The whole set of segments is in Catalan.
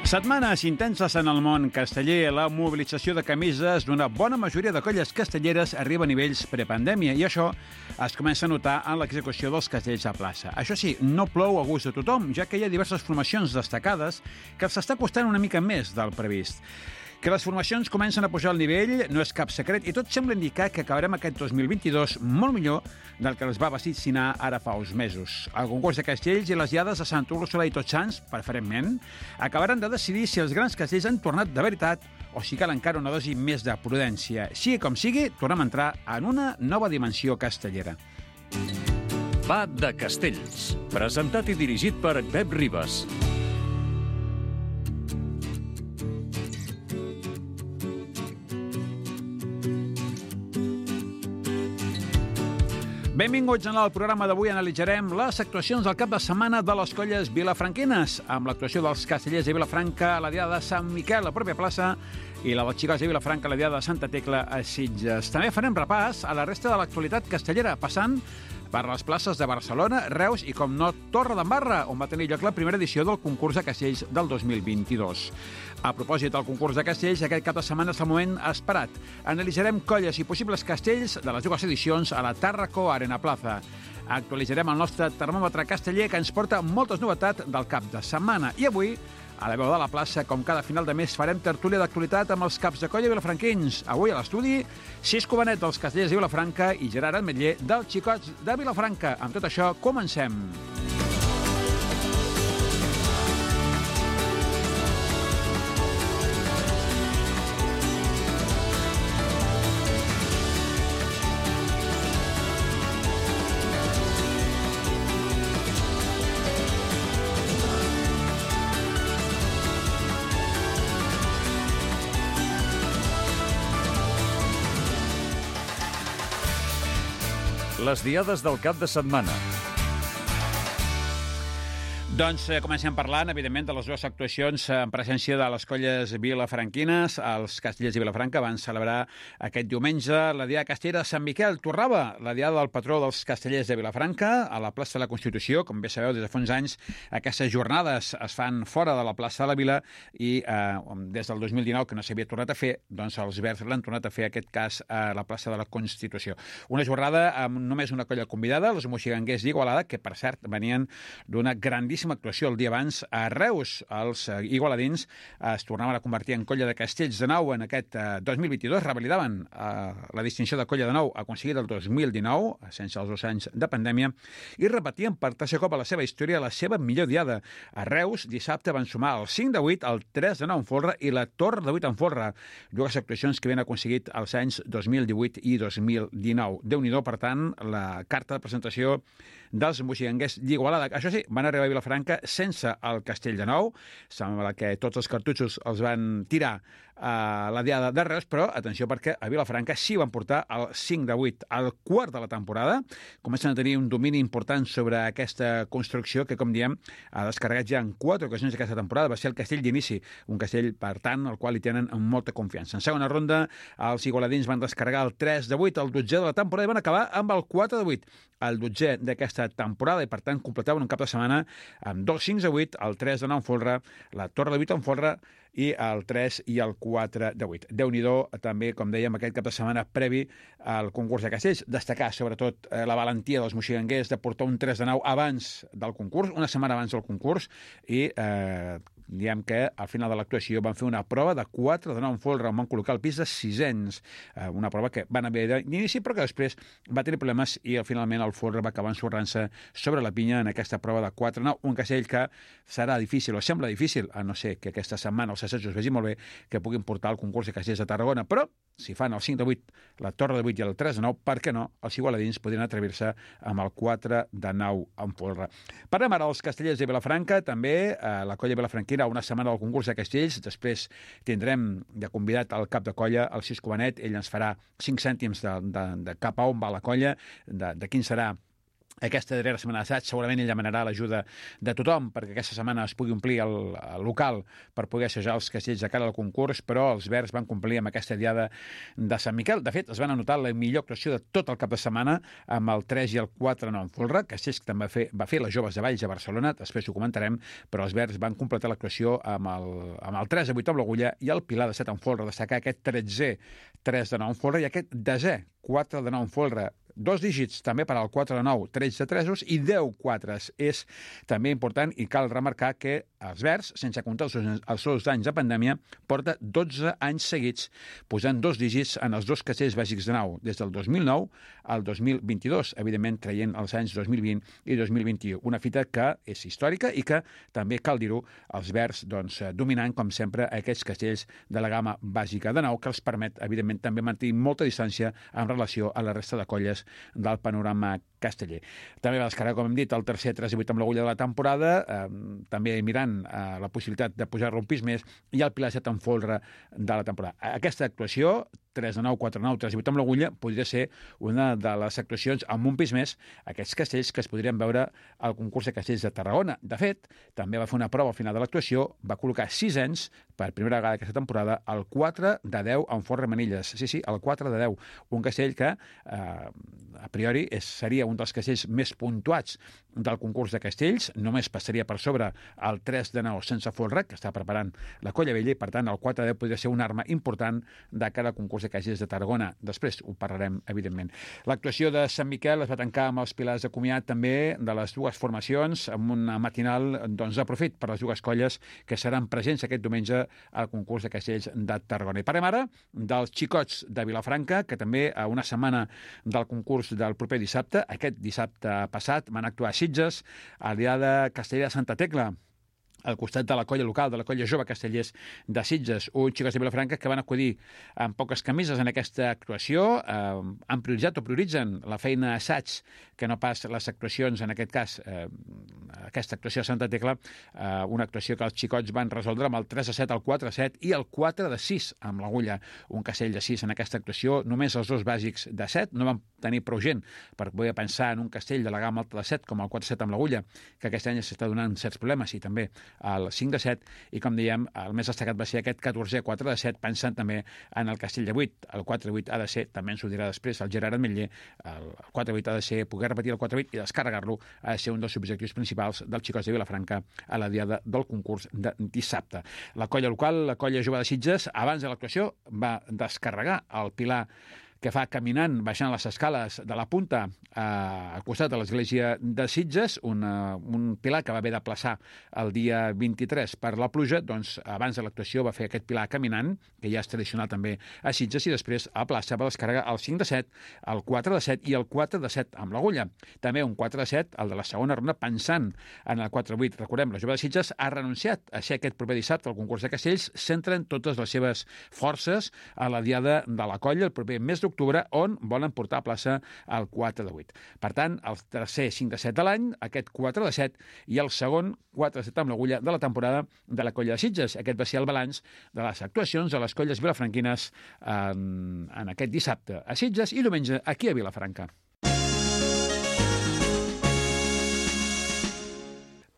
Setmanes intenses en el món casteller. La mobilització de camises d'una bona majoria de colles castelleres arriba a nivells prepandèmia i això es comença a notar en l'execució dels castells a plaça. Això sí, no plou a gust de tothom, ja que hi ha diverses formacions destacades que s'està costant una mica més del previst. Que les formacions comencen a pujar al nivell no és cap secret i tot sembla indicar que acabarem aquest 2022 molt millor del que es va vaticinar ara fa uns mesos. El concurs de castells i les diades de Sant Úrsula i Tots Sants, preferentment, acabaran de decidir si els grans castells han tornat de veritat o si cal encara una dosi més de prudència. Sigui com sigui, tornem a entrar en una nova dimensió castellera. Va de Castells, presentat i dirigit per Pep Ribas. Benvinguts al programa d'avui. Analitzarem les actuacions del cap de setmana de les colles vilafranquines, amb l'actuació dels castellers de Vilafranca a la diada de Sant Miquel, a la pròpia plaça, i la dels xicots de Vilafranca a la diada de Santa Tecla a Sitges. També farem repàs a la resta de l'actualitat castellera, passant per les places de Barcelona, Reus i, com no, Torredembarra, on va tenir lloc la primera edició del concurs de castells del 2022. A propòsit del concurs de castells, aquest cap de setmana és el moment esperat. Analitzarem colles i possibles castells de les dues edicions a la Tàrraco Arena Plaza. Actualitzarem el nostre termòmetre casteller, que ens porta moltes novetats del cap de setmana. I avui, a la veu de la plaça, com cada final de mes, farem tertúlia d'actualitat amb els caps de colla vilafranquins. Avui a l'estudi, Cisco Benet dels castellers de Vilafranca i Gerard Ametller dels xicots de Vilafranca. Amb tot això, comencem. Les diades del cap de setmana. Doncs comencem parlant, evidentment, de les dues actuacions en presència de les colles vilafranquines. Els castellers de Vilafranca van celebrar aquest diumenge la diada castellera de Sant Miquel. Torrava la diada del patró dels castellers de Vilafranca a la plaça de la Constitució. Com bé sabeu, des de fa uns anys aquestes jornades es fan fora de la plaça de la Vila i des del 2019, que no s'havia tornat a fer, doncs els Verds l'han tornat a fer, aquest cas, a la plaça de la Constitució. Una jornada amb només una colla convidada, els moxiganguers d'Igualada, que, per cert, venien d'una grandíssima actuació el dia abans a Reus. Els igualadins es tornaven a convertir en colla de castells de nou en aquest 2022, revalidaven la distinció de colla de nou aconseguida el 2019, sense els 2 anys de pandèmia, i repetien per tercer cop a la seva història la seva millor diada. A Reus, dissabte, van sumar el 5 de 8, el 3 de 9 en folre i la torre de 8 en folre, dues actuacions que havien aconseguit els anys 2018 i 2019. Déu-n'hi-do, per tant, la carta de presentació dels moxiganguers d'Igualada. Això sí, van arribar a Vilafranca sense el castell de nou. Sembla que tots els cartutxos els van tirar a la diada de Reus, però atenció, perquè a Vilafranca sí van portar el 5 de 8 al quart de la temporada. Comencen a tenir un domini important sobre aquesta construcció que, com diem, ha descarregat ja en 4 ocasions aquesta temporada. Va ser el castell d'inici, un castell, per tant, al qual hi tenen molta confiança. En segona ronda, els igualadins van descarregar el 3 de 8, el 12è de la temporada, i van acabar amb el 4 de 8, el 12è d'aquesta temporada, i per tant completaven un cap de setmana amb 2 5 de 8, el 3 de 9 en folre, la torre de 8 en folre i el 3 i el 4 de 8. Déu-n'hi-do, també, com dèiem, aquest cap de setmana previ al concurs de castells. Destacar, sobretot, la valentia dels moxiganguers de portar un 3 de 9 abans del concurs, una setmana abans del concurs, i diem que al final de l'actuació van fer una prova de 4 de 9 en folre, on van col·locar el pis de sisens, una prova que van haver d'inici, però que després va tenir problemes i finalment el folre va acabar ensorrant-se sobre la pinya en aquesta prova de 4 de 9, un castell que serà difícil, o sembla difícil, a no ser que aquesta setmana els assajos vegi molt bé, que puguin portar el concurs de castells de Tarragona, però si fan el 5 de 8, la torre de 8 i el 3 de 9, per què no? Els igualadins podrien atrevir-se amb el 4 de 9 en folre. Parlem ara dels castellers de Vilafranca, també la colla vilafranquina, una setmana del concurs de castells. Després tindrem de convidat el cap de colla, el Cisco Benet. Ell ens farà 5 cèntims de cap a on va la colla, de quin serà Aquesta darrera setmana d'assaig segurament ell demanarà l'ajuda de tothom perquè aquesta setmana es pugui omplir el local per poder assajar els castells de cara al concurs, però els verds van complir amb aquesta diada de Sant Miquel. De fet, es van anotar la millor actuació de tot el cap de setmana amb el 3 i el 4 en folre, castells que també va fer les Joves de Valls a Barcelona, després ho comentarem, però els verds van completar l'actuació amb el 3 a 8 amb l'agulla i el Pilar de 7 en folre, destacar aquest 13è 3 de 9 en folre i aquest 10è 4 de 9 en folre. 2 dígits també per al 4 de 9, 13 tresos i 10 quatres. És també important i cal remarcar que els verds, sense comptar els seus anys de pandèmia, porta 12 anys seguits posant 2 dígits en els 2 castells bàsics de nau, des del 2009 al 2022, evidentment traient els anys 2020 i 2021. Una fita que és històrica i que també cal dir-ho, els verds dominant, com sempre, aquests castells de la gamma bàsica de nau, que els permet, evidentment, també mantenir molta distància en relació a la resta de colles del panorama casteller. També va descarregar, com hem dit, el tercer 3 i 8 amb l'agulla de la temporada, també mirant la possibilitat de pujar-lo un pis més, i el Pilar 7 en folre de la temporada. Aquesta actuació, 3 de 9, 4 de 9, 3 i 8 amb l'agulla, podria ser una de les actuacions amb un pis més, aquests castells que es podrien veure al concurs de castells de Tarragona. De fet, també va fer una prova al final de l'actuació, va col·locar 6 anys, per primera vegada aquesta temporada, el 4 de 10 en folre Manilles. Sí, el 4 de 10. Un castell que, a priori, seria un dels castells més puntuats del concurs de castells, només passaria per sobre el 3 de 9 sense folre, que està preparant la Colla Vella, i per tant el 4 de 10 podria ser una arma important de cara al concurs de castells de Tarragona. Després ho parlarem, evidentment. L'actuació de Sant Miquel es va tancar amb els pilars de comiat també de les dues formacions, amb una matinal de profit per les dues colles que seran presents aquest diumenge al concurs de castells de Tarragona. I parlem ara dels xicots de Vilafranca, que també a una setmana del concurs del proper dissabte, aquest dissabte passat, van actuar a Sitges, a l'Iada Castellera de Santa Tecla, al costat de la colla local, de la colla jove Castellers de Sitges, uns xicots de Vilafranca que van acudir amb poques camises en aquesta actuació, han prioritzat o prioritzen la feina assaig que no pas les actuacions, en aquest cas, aquesta actuació a Santa Tecla, una actuació que els xicots van resoldre amb el 3 a 7, el 4 a 7 i el 4 de 6 amb l'agulla. Un castell de 6 en aquesta actuació, només els dos bàsics de 7, no van tenir prou gent per poder pensar en un castell de la gamma alta de 7 com el 4 a 7 amb l'agulla, que aquest any s'està donant certs problemes i també el 5 de 7, i com dèiem, el més destacat va ser aquest 14è 4 de 7, pensant també en el castell de 8. El 4 de 8 ha de ser, també ens ho dirà després el Gerard Ametller, el 4 de 8 ha de ser poder repetir el 4 de 8 i descarregar-lo ha de ser un dels objectius principals dels xicots de Vilafranca a la diada del concurs de dissabte. La colla local, la colla jove de Sitges, abans de l'actuació va descarregar el pilar que fa caminant, baixant les escales de la punta al costat de l'església de Sitges, un pilar que va haver de plaçar el dia 23 per la pluja, doncs abans de l'actuació va fer aquest pilar caminant, que ja és tradicional també a Sitges, i després a plaça va descarregar el 5 de 7, el 4 de 7 i el 4 de 7 amb l'agulla. També un 4 de 7, el de la segona ronda, pensant en el 4 de 8. Recordem, la jove de Sitges ha renunciat a ser aquest proper dissabte al concurs de castells, centren totes les seves forces a la diada de la colla el proper mes d'octubre, on volen portar a plaça el 4 de 8. Per tant, el tercer 5 de 7 de l'any, aquest 4 de 7, i el segon 4 de 7 amb l'agulla de la temporada de la colla de Sitges. Aquest va ser el balanç de les actuacions de les colles vilafranquines en aquest dissabte a Sitges i diumenge aquí a Vilafranca.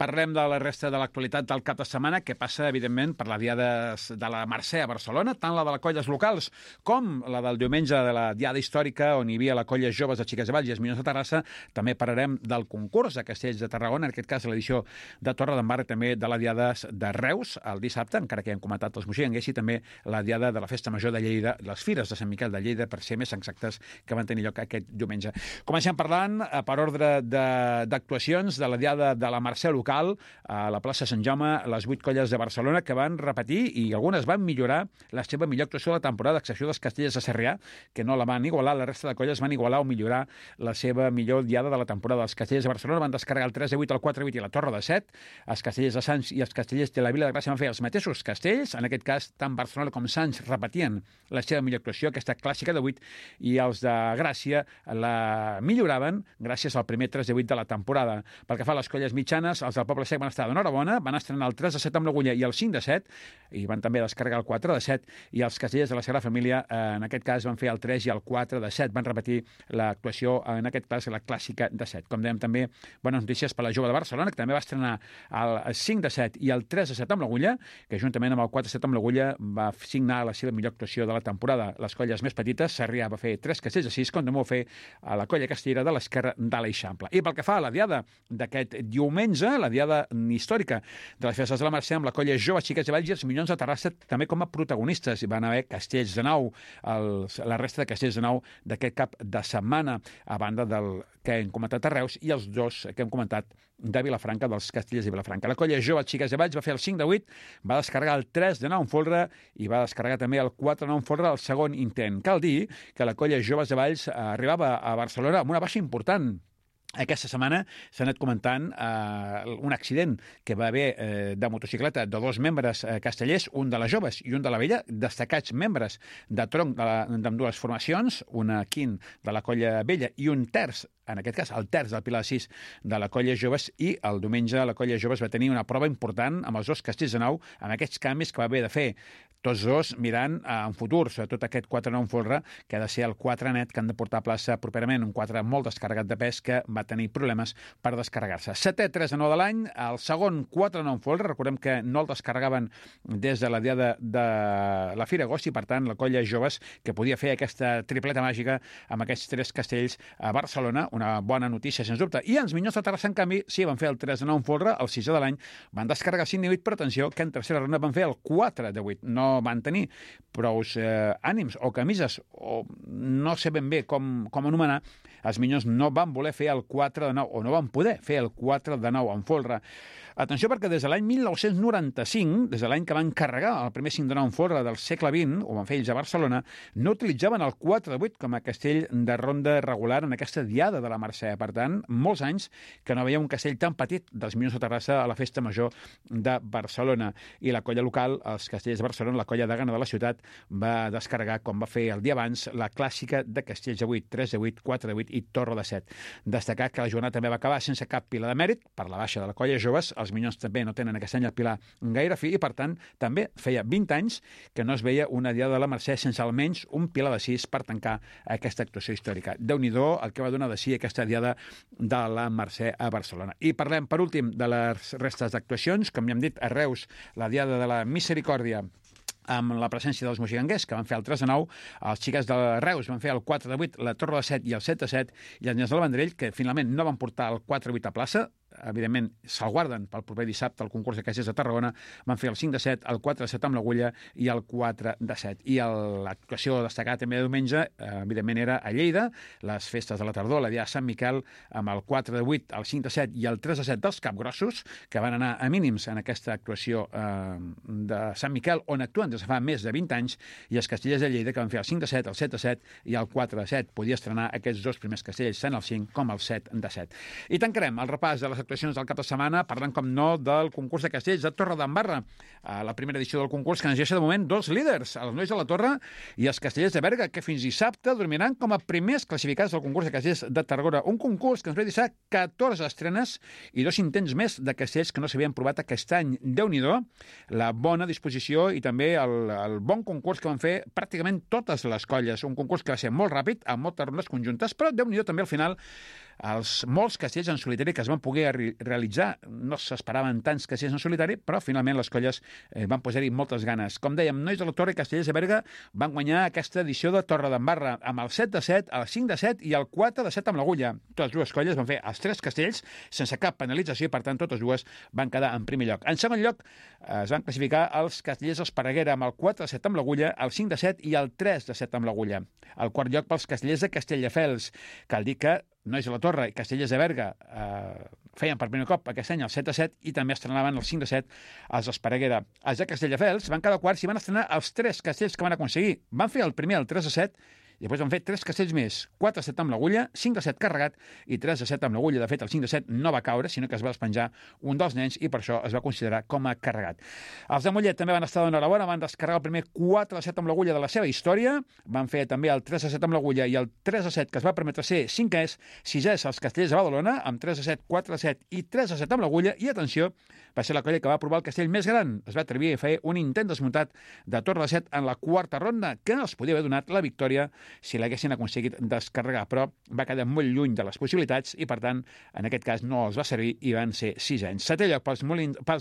Parlem de la resta de l'actualitat del cap de setmana, que passa, evidentment, per la diada de la Mercè a Barcelona, tant la de les colles locals com la del diumenge de la diada històrica, on hi havia la colla joves de Xiques de Valls i Esminyons de Terrassa. També parlarem del concurs de castells de Tarragona, en aquest cas l'edició de Torredembarra, també de la diada de Reus, el dissabte, encara que ja hem comentat els moixenguers, i també la diada de la Festa Major de Lleida, les Fires de Sant Miquel de Lleida, per ser més exactes, que van tenir lloc aquest diumenge. Comencem parlant, per ordre d'actuacions, de la diada de la Mercè local, a la plaça Sant Jaume, les 8 colles de Barcelona que van repetir i algunes van millorar la seva millor actuació de la temporada, a excepció dels castellers de Sarrià, que no la van igualar, la resta de colles van igualar o millorar la seva millor diada de la temporada. Els castellers de Barcelona van descarregar el 3 de 8, el 4 de 8 i la Torre de 7. Els castellers de Sants i els castellers de la Vila de Gràcia van fer els mateixos castells. En aquest cas, tant Barcelona com Sants repetien la seva millor actuació, aquesta clàssica de 8, i els de Gràcia la milloraven gràcies al primer 3 de 8 de la temporada. Pel que fa a les colles mitjanes, els del Poble Sec van estar d'enhorabona, van estrenar el 3-7 amb l'Agulla i el 5-7, i van també descarregar el 4-7, i els Castellers de la Sagrada Família, en aquest cas, van fer el 3 i el 4-7. Van repetir l'actuació, en aquest cas, la clàssica de 7. Com dèiem, també bones notícies per la Jove de Barcelona, que també va estrenar el 5-7 i el 3-7 amb l'Agulla, que juntament amb el 4-7 amb l'Agulla va signar la seva millor actuació de la temporada. Les colles més petites, Sarrià va fer 3 castells a 6, com també ho fer a la colla castellera de l'esquerra de l'Eixample. I pel que fa a la diada d'aquest diumenge, la diada històrica de les festes de la Mercè, amb la colla Joves Xiques i Valls i els Minyons de Terrassa també com a protagonistes. Hi van haver castells de nou, la resta de castells de nou d'aquest cap de setmana, a banda del que hem comentat a Reus i els dos que hem comentat de Vilafranca, dels Castellers de Vilafranca. La colla Joves Xiques i Valls va fer el 5-8, va descarregar el 3-9 en folre i va descarregar també el 4-9 en folre al segon intent. Cal dir que la colla Joves de Valls arribava a Barcelona amb una baixa important. Aquesta setmana s'ha anat comentant un accident que va haver de motocicleta de dos membres castellers, un de les joves i un de la vella, destacats membres de tronc d'ambdues formacions, una quint de la colla vella i un terç, en aquest cas el terç del Pilar 6 de la colla joves, i el diumenge la colla joves va tenir una prova important amb els dos castells de nou, amb aquests canvis que va haver de fer tots dos mirant en futur, sobretot aquest 4-9 en folre, que ha de ser el 4 net, que han de portar a plaça properament, un 4 molt descarregat de pes que va tenir problemes per descarregar-se. 7è 3-9 de l'any, el segon 4-9 en folre, recordem que no el descarregaven des de la diada de la Fira Agost, i per tant la colla joves que podia fer aquesta tripleta màgica amb aquests 3 castells a Barcelona, una bona notícia sens dubte. I els Minyons de Terrassa, en canvi, sí, van fer el 3-9 en folre, el 6è de l'any, van descarregar el 5-8, però atenció, que en tercera ronda van fer el 4-8. No van tenir prous ànims o camises, o no sé ben bé com anomenar. Els Minyons no van voler fer el 4-9, o no van poder fer el 4-9 en folre. Atenció, perquè des de l'any 1995, des de l'any que van carregar el primer 5-9 en folre del segle XX, ho van fer ells a Barcelona, no utilitzaven el 4-8 com a castell de ronda regular en aquesta diada de la Mercè. Per tant, molts anys que no veia un castell tan petit dels Minyons de Terrassa a la festa major de Barcelona. I la colla local, els castells de Barcelona, la colla degana de la ciutat, va descarregar, com va fer el dia abans, la clàssica de castells de 8, 3 de 8, 4 de 8 i torre de 7. Destacar que la jornada també va acabar sense cap pila de mèrit, per la baixa de la colla joves. Els Minyons també no tenen aquest any el pilar gaire fi, i per tant també feia 20 anys que no es veia una diada de la Mercè sense almenys un pilar de 6 per tancar aquesta actuació històrica. Déu-n'hi-do el que va donar de si aquesta diada de la Mercè a Barcelona. I parlem, per últim, de les restes d'actuacions. Com ja hem dit, a Reus, la diada de la Misericòrdia, amb la presència dels moxiganguers, que van fer el 3-9, els xiques de Reus van fer el 4-8, la torre de 7 i el 7-7, i els Nyes del Vendrell, que finalment no van portar el 4-8 a plaça, evidentment se'l guarden pel proper dissabte al concurs de castellers de Tarragona, van fer el 5-7, el 4-7 amb l'Agulla i el 4-7. I l'actuació destacada també de diumenge, evidentment, era a Lleida, les festes de la tardor, la dia de Sant Miquel, amb el 4-8, el 5-7 i el 3-7 dels Capgrossos, que van anar a mínims en aquesta actuació de Sant Miquel, on actuen des de fa més de 20 anys, i els castellers de Lleida, que van fer el 5-7, el 7-7 i el 4-7. Podia estrenar aquests dos primers castells, tant el 5 com el 7-7. I tancarem el repàs de les actuacions del cap de setmana, parlant, com no, del concurs de castells de Torredembarra. La primera edició del concurs, que ens deixa de moment dos líders, els Nois de la Torre i els Castellers de Berga, que fins dissabte dormiran com a primers classificats del concurs de castells de Tarragona. Un concurs que ens va deixar 14 estrenes i 2 intents més de castells que no s'havien provat aquest any. Déu-n'hi-do, la bona disposició i també el bon concurs que van fer pràcticament totes les colles. Un concurs que va ser molt ràpid, amb moltes rondes conjuntes, però Déu-n'hi-do també al final els molts castells en solitari que es van poder realitzar. No s'esperaven tants castells en solitari, però finalment les colles van posar-hi moltes ganes. Com dèiem, Nois de la Torre i Castellers de Berga van guanyar aquesta edició de Torredembarra amb el 7-7, el 5-7 i el 4-7 amb l'Agulla. Totes dues colles van fer els 3 castells sense cap penalització i, per tant, totes dues van quedar en primer lloc. En segon lloc, es van classificar els castellers d'Esparreguera amb el 4-7 amb l'Agulla, el 5-7 i el 3-7 amb l'Agulla. El quart lloc pels castellers de Castelldefels. Cal dir que Nois de la Torre i Castellers de Berga feien per primer cop aquest any el 7-7 i també estrenaven el 5-7 als Esparreguera. Els de Castelldefels van quedar quarts i van estrenar els 3 castells que van aconseguir. Van fer el primer el 3-7 I després van fer 3 castells més, 4 de 7 amb l'agulla, 5 de 7 carregat i 3 de 7 amb l'agulla. De fet, el 5 de 7 no va caure, sinó que es va despenjar un dels nens i per això es va considerar com a carregat. Els de Mollet també van estar d'enhorabona, van descarregar el primer 4 de 7 amb l'agulla de la seva història, van fer també el 3 de 7 amb l'agulla i el 3 de 7 que es va permetre ser 5è, 6è als Castellers de Badalona, amb 3 de 7, 4 de 7 i 3 de 7 amb l'agulla, i atenció, va ser la colla que va provar el castell més gran. Es va atrevir a fer un intent desmuntat de torre de 7 en la quarta ronda, que els podia haver donat la victòria si l'haguessin aconseguit descarregar, però va quedar molt lluny de les possibilitats i, per tant, en aquest cas no els va servir i van ser 6 anys. 7è lloc pels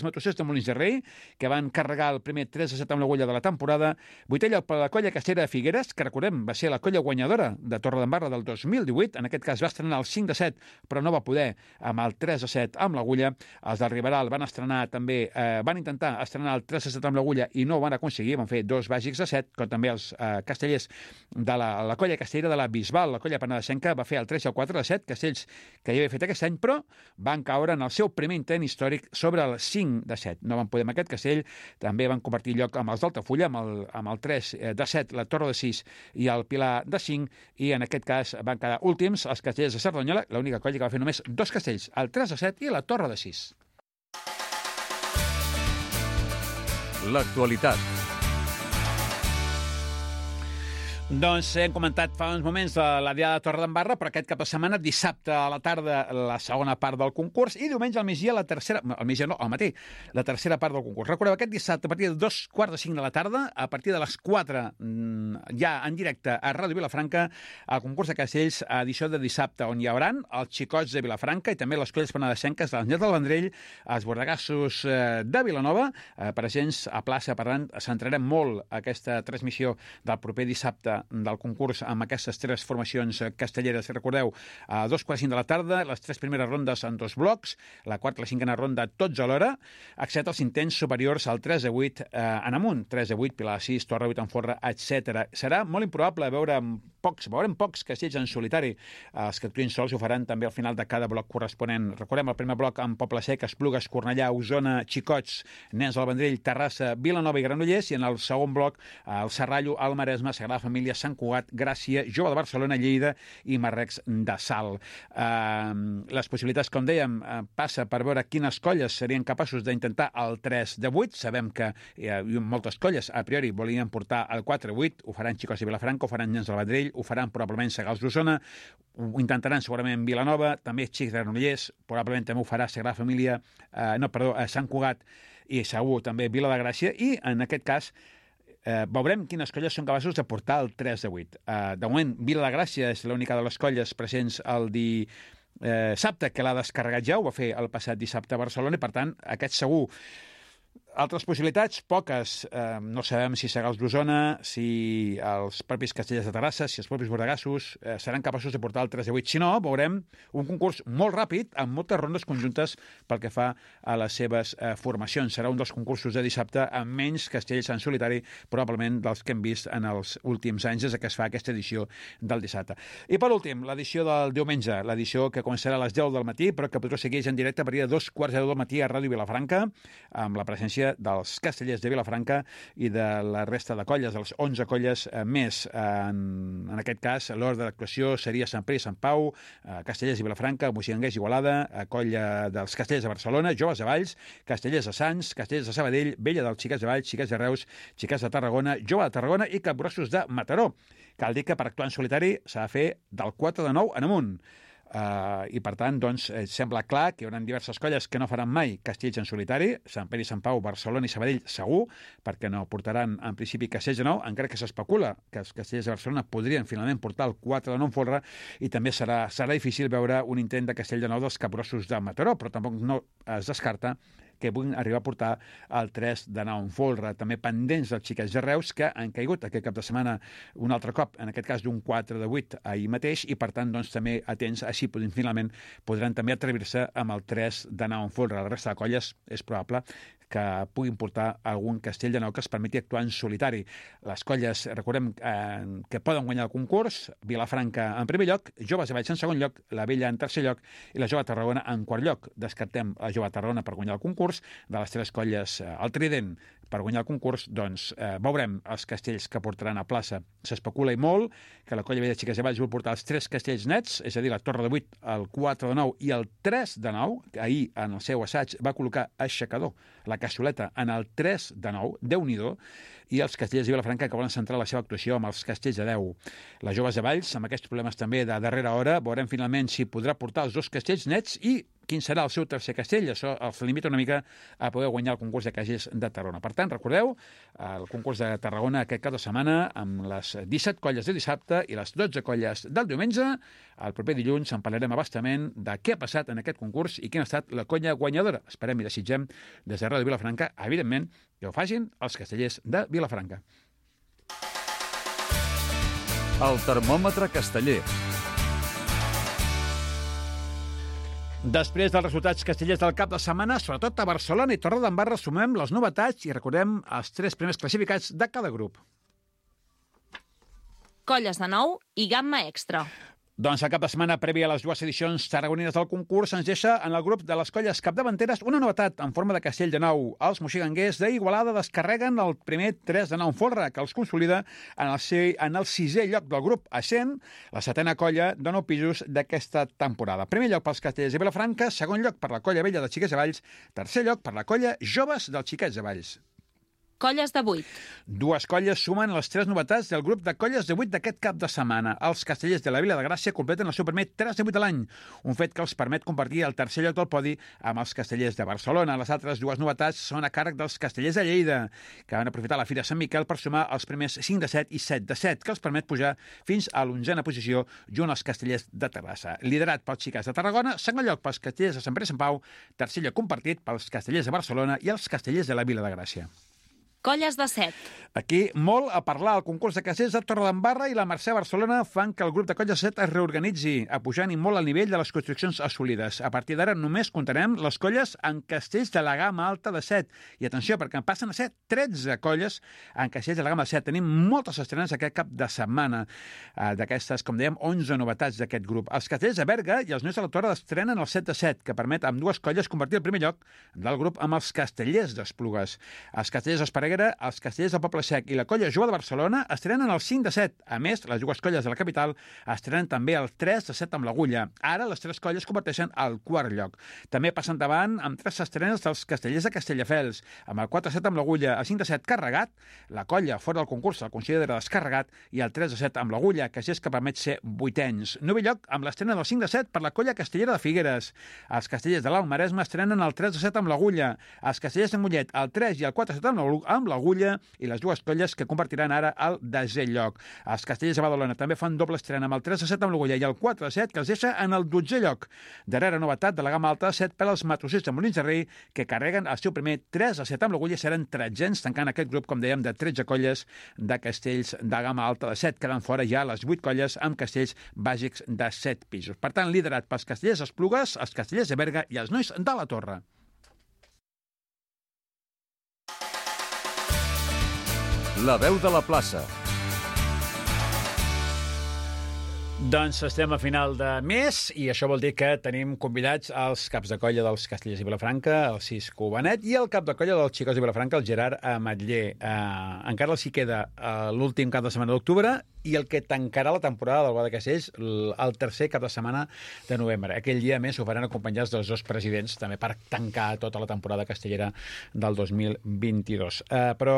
matossers de Molins de Rei, que van carregar el primer 3 de 7 amb l'agulla de la temporada. 8è lloc per la colla castellera de Figueres, que recordem va ser la colla guanyadora de Torredembarra del 2018. En aquest cas va estrenar el 5 de 7, però no va poder amb el 3 de 7 amb l'agulla. Els del Riberal van estrenar també, van intentar estrenar el 3 de 7 amb l'agulla i no ho van aconseguir, van fer 2 bàsics de 7, com també els castellers de la colla castellera de la Bisbal, la colla penedesenca, va fer el 3 i el 4 de 7, castells que ja havia fet aquest any, però van caure en el seu primer intent històric sobre el 5 de 7. No van poder amb aquest castell, també van compartir lloc amb els d'Altafulla, amb el 3 de 7, la Torre de 6 i el Pilar de 5, i en aquest cas van quedar últims els castellers de Cerdanyola, l'única colla que va fer només 2 castells, el 3 de 7 i la Torre de 6. L'actualitat. Doncs hem comentat fa uns moments la Diada de Torredembarra, però aquest cap de setmana, dissabte a la tarda, la segona part del concurs, i diumenge al migdia, la tercera part del concurs. Recordeu, aquest dissabte, a partir de 2:45 de la tarda, a partir de les 4, ja en directe a Ràdio Vilafranca, el concurs de castells, edició de dissabte, on hi haurà els xicots de Vilafranca i també les colles penedesenques de l'Anyet del Vendrell, els bordegassos de Vilanova, presents a plaça. Per tant, centrarem molt aquesta transmissió del proper dissabte del concurs amb aquestes 3 formacions castelleres. Recordeu, a 2:45 de la tarda, les 3 primeres rondes en 2 blocs, la quarta i la cinquena ronda tots alhora, excepte els intents superiors al 3 de 8 en amunt, 3 de 8, Pilar de 6, Torre 8 en Forra, etc. Serà molt improbable veurem pocs castells en solitari. Els que actuïn sols ho faran també al final de cada bloc corresponent. Recordem el primer bloc amb Poble Sec, Esplugues, Cornellà, Osona, Xicots, Nens del Vendrell, Terrassa, Vilanova i Granollers, i en el segon bloc el Serrallo, el Maresme, Sagrada Família, Sant Cugat, Gràcia, Jove de Barcelona, Lleida i Marrecs de Salt. Les possibilitats, com dèiem, passa per veure quines colles serien capaços d'intentar el 3 de 8. Sabem que moltes colles, a priori, volien portar el 4 de 8. Ho faran Xicots de Vilafranca, ho faran Nens del Vendrell, ho faran probablement Segals d'Osona, ho intentaran segurament Vilanova, també Xics de Granollers, probablement també ho farà Sagrada Família, Sant Cugat i segur també Vila de Gràcia, i en aquest cas veurem quines colles són capaços de portar el 3 de 8. De moment, Vila de Gràcia és l'única de les colles presents el dissabte que l'ha descarregat ja, ho va fer el passat dissabte a Barcelona, i per tant, aquest segur. Altres possibilitats, poques. No sabem si Segals d'Osona, si els propis castellers de Terrassa, si els propis bordegassos seran capaços de portar el 3 de 8. Si no, veurem un concurs molt ràpid, amb moltes rondes conjuntes pel que fa a les seves formacions. Serà un dels concursos de dissabte amb menys castells en solitari, probablement dels que hem vist en els últims anys des que es fa aquesta edició del dissabte. I per últim, l'edició del diumenge, l'edició que començarà a les 10 del matí, però que podreu seguir en directe a partir de 2:15 del matí a Ràdio Vilafranca, amb la presència dels castellers de Vilafranca i de la resta de colles, de les 11 colles més. En aquest cas, l'ordre d'actuació seria Sant Pere i Sant Pau, Castellers de Vilafranca, Moixigangers Igualada, colla dels Castellers de Barcelona, Joves de Valls, Castellers de Sants, Castellers de Sabadell, Vella dels Xiquets de Valls, Xiquets de Reus, Xiquets de Tarragona, Jove de Tarragona i Capgrossos de Mataró. Cal dir que per actuar en solitari s'ha de fer del 4 de 9 en amunt. I per tant, doncs, sembla clar que hi haurà diverses colles que no faran mai castells en solitari, Sant Pere i Sant Pau, Barcelona i Sabadell segur, perquè no portaran en principi castells de 9, encara que s'especula que els castellers de Barcelona podrien finalment portar el 4 de 9 en folre, i també serà difícil veure un intent de castell de 9 dels Capgrossos de Mataró, però tampoc no es descarta que puguin arribar a portar el 3 de 9 en folre. També pendents dels Xiquets de Reus, que han caigut aquest cap de setmana un altre cop, en aquest cas d'un 4 de 8 ahir mateix, i per tant doncs, també atents, així finalment podran també atrevir-se amb el 3 de 9 en folre. La resta de colles és probable que puguin portar algun castell de 9 que es permeti actuar en solitari. Les colles, recordem, que poden guanyar el concurs: Vilafranca en primer lloc, Joves de Valls en segon lloc, la Vella en tercer lloc i la Jove de Tarragona en quart lloc. Descartem la Jove de Tarragona per guanyar el concurs. De les 3 colles, el Trident per guanyar el concurs, doncs veurem els castells que portaran a plaça. S'especula i molt que la Colla Vella de Xiques de Valls vol portar els 3 castells nets, és a dir, la Torre de 8, el 4 de 9 i el 3 de 9. Ahir, en el seu assaig, va col·locar aixecador, la cassoleta, en el 3 de 9, Déu-n'hi-do, i els castellers de Vilafranca que volen centrar la seva actuació amb els castells de 10. Les joves de Valls, amb aquests problemes també de darrera hora, veurem finalment si podrà portar els 2 castells nets i quin serà el seu tercer castell. Això els limita una mica a poder guanyar el concurs de castells de Tarragona. Per tant, recordeu, el concurs de Tarragona aquest cap de setmana amb les 17 colles de dissabte i les 12 colles del diumenge. El proper dilluns en parlarem abastament de què ha passat en aquest concurs i quina ha estat la colla guanyadora. Esperem i desitgem des de Ràdio Vilafranca, evidentment, que ho facin els castellers de Vilafranca. El termòmetre casteller. Després dels resultats castellers del cap de setmana, sobretot a Barcelona i Torredembarra, sumem les novetats i recordem els 3 primers classificats de cada grup. Colles de 9 i gamma extra. Doncs el cap de setmana previ a les 2 edicions tarragonines del concurs ens deixa en el grup de les colles capdavanteres una novetat en forma de castell de 9. Els moxiganguers d'Igualada descarreguen el primer 3 de 9 folre, que els consolida en el 6è lloc del grup, essent la 7a colla de 9 pisos d'aquesta temporada. Primer lloc pels castellers de Vilafranca, segon lloc per la Colla Vella de Xiquets de Valls, tercer lloc per la colla Joves dels Xiquets de Valls. Colles de 8. 2 colles sumen les 3 novetats del grup de colles de 8 d'aquest cap de setmana. Els castellers de la Vila de Gràcia completen el seu primer 3 de 8 a l'any, un fet que els permet compartir el tercer lloc del podi amb els castellers de Barcelona. Les altres 2 novetats són a càrrec dels castellers de Lleida, que van aprofitar la Fira Sant Miquel per sumar els primers 5 de 7 i 7 de 7, que els permet pujar fins a l'11a posició junt als castellers de Terrassa. Liderat pels Xiquets de Tarragona, segon lloc pels castellers de Sant Pere i Sant Pau, tercer lloc compartit pels castellers de Barcelona i els castellers de la Vila de Gràcia. Colles de 7. Aquí, molt a parlar. El concurs de castells de Torredembarra i la Mercè Barcelona fan que el grup de colles de 7 es reorganitzi, apujant molt el nivell de les construccions assolides. A partir d'ara només comptarem les colles en castells de la gamma alta de 7. I atenció, perquè en passen a ser 13 colles en castells de la gamma de 7. Tenim moltes estrenes aquest cap de setmana. D'aquestes, com dèiem, 11 novetats d'aquest grup. Els castells de Berga i els nois de la Torre estrenen el 7 de 7, que permet amb 2 colles compartir el primer lloc del grup amb els castellers d'Esplugues. Els castellers d'Esparreguera, els castellers del Poble Sec i la colla Jove de Barcelona estrenen el 5 de 7. A més, les 2 colles de la capital estrenen també el 3 de 7 amb l'Agulla. Ara les 3 colles converteixen al 4è lloc. També passen davant amb 3 estrenes dels castellers de Castelldefels, amb el 4 de 7 amb l'Agulla, el 5 de 7 carregat, la colla fora del concurs el considera descarregat i el 3 de 7 amb l'Agulla, que és que permet ser 8ens. 9è lloc amb l'estrena del 5 de 7 per la colla castellera de Figueres. Els castellers de l'Alt Maresme estrenen el 3 de 7 amb l'Agulla, els castellers de Mollet el 3 i el 4 de 7 amb l'Agulla i les 2 colles que compartiran ara el 10è lloc. Els castellers de Badalona també fan doble estrena amb el 3 de 7 amb l'Agulla i el 4 de 7 que els deixa en el 12è lloc. Darrera novetat de la gamma alta de 7 per als matrossers de Molins de Rei que carreguen el seu primer 3 de 7 amb l'Agulla i seran 13ens tancant aquest grup, com dèiem, de 13 colles de castells de gamma alta de 7. Queden fora ja les 8 colles amb castells bàsics de 7 pisos. Per tant, liderat pels castellers d'Esplugues, els castellers de Berga i els nois de la Torre. La veu de la plaça. Doncs estem a final de mes i això vol dir que tenim convidats els caps de colla dels Castellers i Vilafranca, el Cisco Benet, i el cap de colla dels Xicots i Vilafranca, el Gerard Ametller. Encara els hi queda l'últim cap de setmana d'octubre i el que tancarà la temporada del Boda de Castells el tercer cap de setmana de novembre. Aquell dia, a més, ho faran acompanyats dels 2 presidents, també per tancar tota la temporada castellera del 2022. Però,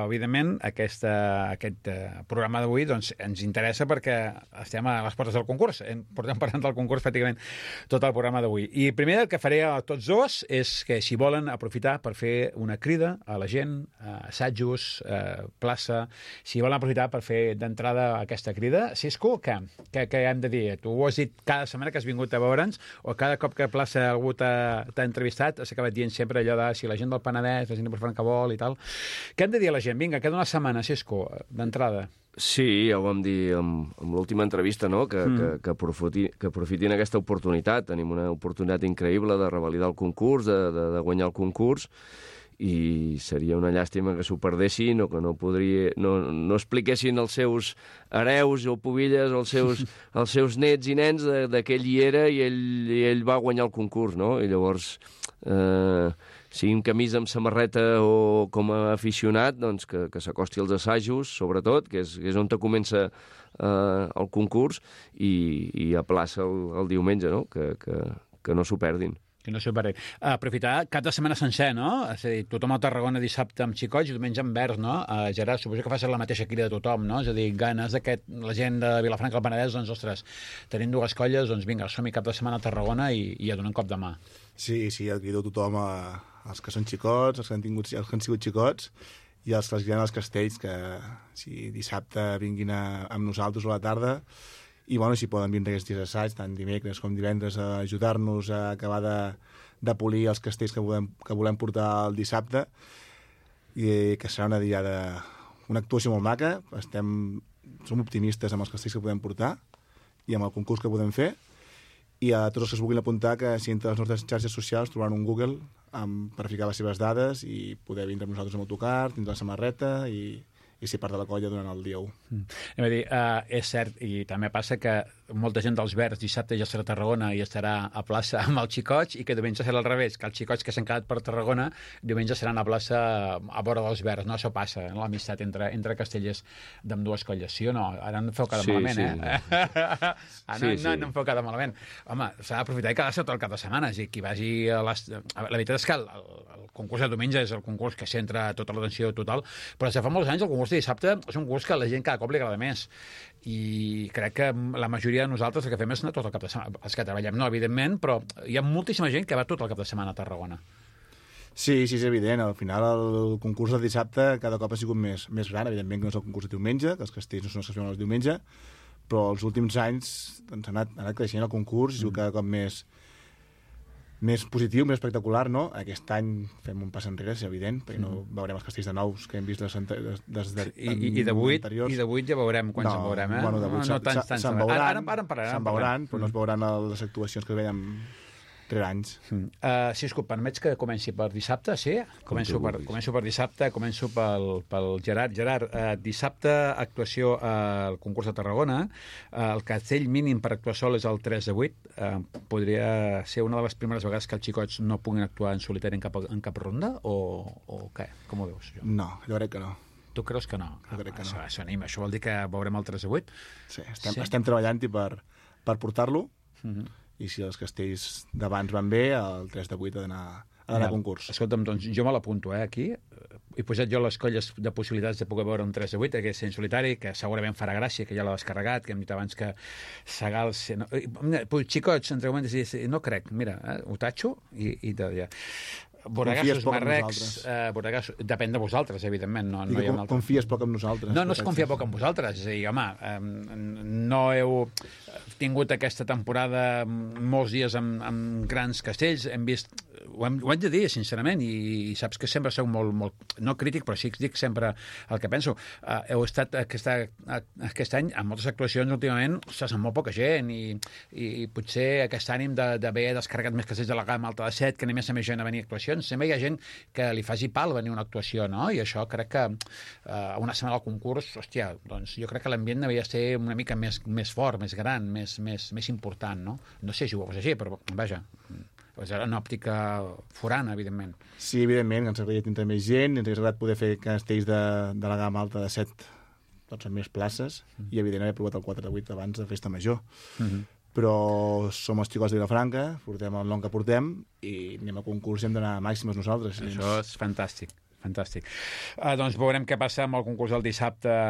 evidentment, aquest programa d'avui doncs, ens interessa perquè estem a les portes del concurs. Portem parlant del concurs pràcticament tot el programa d'avui. I primer el que faré a tots dos és que, si volen, aprofitar per fer una crida a la gent, assajos, plaça, si volen aprofitar per fer d'entrada aquesta crida. Cisco, què hem de dir? Tu ho has dit cada setmana que has vingut a veure'ns, o cada cop que plaça algú t'ha entrevistat, has acabat dient sempre allò de si la gent del Penedès, la gent de Vilafranca vol i tal. Què hem de dir a la gent? Vinga, queda una setmana, Cisco, d'entrada. Sí, ja ho vam dir amb l'última entrevista, no? Que aprofitin aquesta oportunitat. Tenim una oportunitat increïble de revalidar el concurs, de guanyar el concurs, i seria una llàstima que s'ho perdessin o que no expliquessin als seus hereus o pubilles o als seus nets i nens que ell hi era i ell va guanyar el concurs, no? I llavors, sigui amb camisa, amb samarreta o com a aficionat, doncs que s'acosti als assajos, sobretot, que és on te comença el concurs, i a plaça el diumenge, no? Que no s'ho perdin. Que no s'ho perdin. Aprofitar cap de setmana sencer, no? És a dir, tothom a Tarragona dissabte amb xicots i diumenge amb verds, no? Gerard, suposo que fas la mateixa crida de tothom, no? És a dir, ganes la gent de Vilafranca del Penedès, doncs, ostres, tenim dues colles, doncs vinga, som-hi cap de setmana a Tarragona i a donar un cop de mà. Sí, el crido tothom, els que són xicots, els que han sigut xicots, i els que els guien als castells, que si dissabte vinguin amb nosaltres a la tarda, i bueno, si poden vindre aquests dies d'assaig, tant dimecres com divendres, a ajudar-nos a acabar de polir els castells que volem portar el dissabte, i que serà una actuació molt maca. Som optimistes amb els castells que podem portar i amb el concurs que podem fer, i a tots els que es vulguin apuntar, que si entre les nostres xarxes socials trobaran un Google per ficar les seves dades i poder vindre amb nosaltres amb autocar, tindre la samarreta i ser part de la colla durant el dia 1. Anem a dir, és cert, i també passa que molta gent dels Verds dissabte ja serà a Tarragona i estarà a plaça amb els xicots, i que diumenge serà al revés, que els xicots que s'han quedat per Tarragona diumenge seran a plaça a vora dels Verds, no? Això passa, l'amistat entre castellers d'ambdues colles, sí o no? Ara no em feu cada malament, no em feu cada malament. Home, s'ha d'aprofitar i quedar-se tot el cap de setmana, és a dir, qui vagi la veritat és que el concurs de diumenge és el concurs que centra tota l'atenció total, però des de fa molts anys el concurs de dissabte és un concurs que a la gent cada cop li agrada més, i crec que la majoria de nosaltres el que fem és anar tot el cap de setmana. Els que treballem no, evidentment, però hi ha moltíssima gent que va tot el cap de setmana a Tarragona. Sí, és evident. Al final el concurs de dissabte cada cop ha sigut més gran. Evidentment que no és el concurs de diumenge, que els castells no són els que es veuen el diumenge, però els últims anys doncs, ha anat creixent el concurs i ha sigut cada cop més positiu, més espectacular, no? Aquest any fem un pas enrere, és evident, perquè no veurem els castells de nous que hem vist des I de 8 ja veurem quan se'n veurem, eh? Bueno, de 8 no tants. Se'n veuran, però no es veuran les actuacions que veiem 3 anys. Si et permets que comenci per dissabte, sí? Començo per dissabte, començo pel Gerard. Gerard, dissabte actuació al concurs de Tarragona. El castell mínim per actuar sol és el 3 de 8. Podria ser una de les primeres vegades que els xicots no puguin actuar en solitari en cap ronda, o què? Com ho veus? No, jo crec que no. Tu creus que no? Jo crec que no. Això anima. Això vol dir que veurem el 3 de 8? Sí, estem treballant-hi per portar-lo, i si els castells d'abans van bé, el 3 de 8 ha d'anar a concurs. Escolta'm, doncs jo me l'apunto, aquí. He posat jo les colles de possibilitats de poder veure un 3 de 8, que és en solitari, que segurament farà gràcia, que ja l'ha descarregat, que hem dit abans que Sagals... No, xicots, entre moments, no crec, mira, ho tatxo i ja. Boregassos, marrecs... depèn de vosaltres, evidentment. Confies poc en nosaltres. No es confia poc en vosaltres. És a dir, home, no heu tingut aquesta temporada molts dies amb grans castells. Hem vist... Ho haig de dir, sincerament, i saps que sempre sou molt no crític, però sí que dic sempre el que penso. Heu estat aquest any amb moltes actuacions últimament, amb molt poca gent, i potser aquest ànim d'haver descarregat més castells de la gamma alta de 7, que anem més gent a venir a actuacions. Sempre hi ha gent que li faci pal venir a una actuació, no? I això crec que una setmana al concurs, hòstia, doncs jo crec que l'ambient devia ser una mica més fort, més gran, més important, no? No sé si ho veus així, però vaja... És una òptica forana, evidentment. Sí, evidentment, ens agradaria tindre més gent, ens hauria agradat poder fer castells de la gamma alta de 7, doncs amb més places, i evidentment haver provat el 4 de 8 abans de festa major. Però som els xicots de Vilafranca, portem el nom que portem, i anem a concurs i hem d'anar màximes nosaltres. Això és fantàstic. Fantàstic. Doncs veurem què passa amb el concurs del dissabte,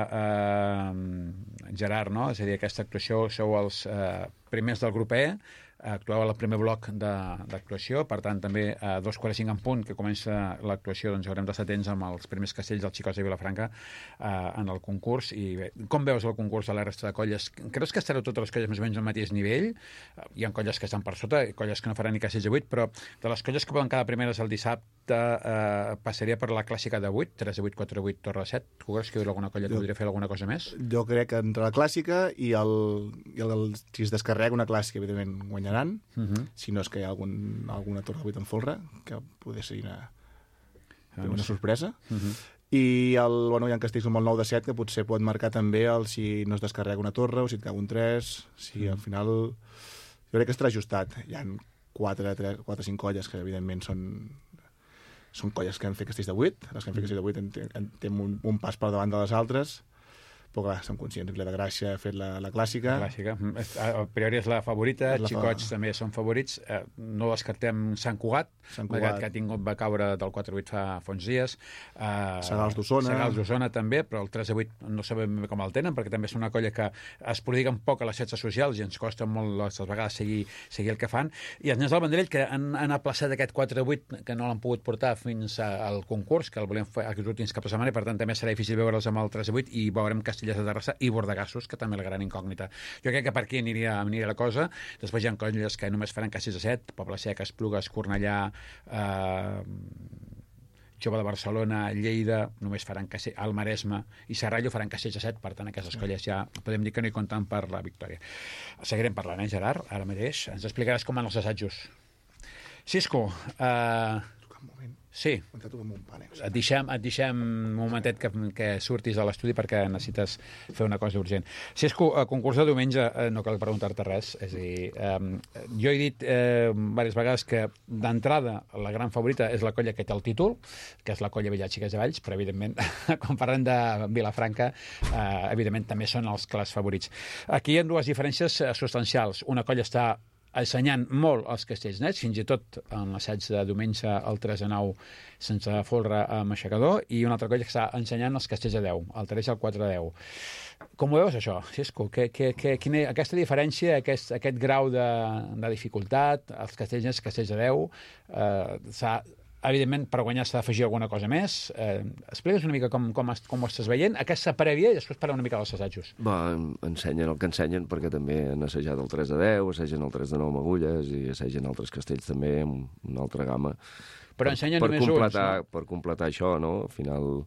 Gerard, no? És a dir, aquesta actuació sou els primers del grup E, actuava el primer bloc d'actuació, per tant també a 2:45 en punt que comença l'actuació, doncs haurem d'estar atents amb els primers castells dels xicots de Vilafranca en el concurs. I bé, com veus el concurs de la resta de colles? Creus que estareu totes les colles més o menys al mateix nivell? Hi ha colles que estan per sota, colles que no faran ni castells de 8, però de les colles que poden quedar primeres el dissabte passaria per la clàssica de 8, 3 de 8, 4 de 8, torre de 7. Tu creus que hi ha alguna colla que podria fer alguna cosa més? Jo crec que entre la clàssica i si es descarrega una clàssica, evidentment guanyaran. Si no és que hi ha alguna torre de 8 en folre, que podria ser una sorpresa. I hi ha castells com el 9 de 7, que potser pot marcar també si no es descarrega una torre o si et cau un 3. Al final jo crec que estarà ajustat. Hi ha 4 o 5 colles que evidentment són són colles que han fet castells de 8, les que han fet castells de 8 tenen un pas per davant de les altres, però clar, som conscients que la de Gràcia ha fet la clàssica. La clàssica. A priori és la favorita, Xicots també són favorits. No descartem Sant Cugat, que va caure del 4-8 fa uns dies. Segals d'Osona també, però el 3-8 no sabem com el tenen, perquè també és una colla que es prodiguen poc a les xarxes socials i ens costa molt a vegades seguir el que fan. I els nens del Vendrell, que han aplaçat aquest 4-8, que no l'han pogut portar fins al concurs, que el volem fer aquests últims cap de setmana, i per tant també serà difícil veure'ls amb el 3-8, i veurem Castellers de Terrassa i Bordegassos, que també és la gran incògnita. Jo crec que per aquí aniria la cosa. Després hi ha colles que només faran castells de 7, Poble Sec, Esplugues, Cornellà, Jove de Barcelona, Lleida, només faran castells, al Maresme i Serrallo faran castells de 7, per tant aquestes colles ja podem dir que no hi compten per la victòria. Seguirem parlant, Gerard? Ara mateix ens explicaràs com van els assajos. Cisco, un moment. Sí. Et deixem un momentet que surtis de l'estudi perquè necessites fer una cosa urgent. Cisco, a concurs de diumenge no cal preguntar-te res. És a dir, jo he dit diverses vegades que d'entrada la gran favorita és la colla que té el títol, que és la colla Villaxiques de Valls, però evidentment, quan parlem de Vilafranca, evidentment també són els clars favorits. Aquí hi ha dues diferències substancials. Una colla està assenyant molt els castells nets, fins i tot en l'assaig de diumenge el 3-9 sense folre amb aixecador, i una altra colla que està ensenyant els castells a 10, el 3 i el 4-10. Com ho veus, això, Cisco? Quina, aquesta diferència, aquest grau de dificultat, els castells nets, castells a 10, evidentment, per guanyar s'ha d'afegir alguna cosa més. Explica'ns una mica com ho estàs veient, aquesta prèvia, i després parlem una mica dels assajos. Ensenyen el que ensenyen, perquè també han assajat el 3-10, assagen el 3-9 amb agulles, i assagen altres castells també amb una altra gamma. Però ensenyen només uns, no? Per completar això, no? Al final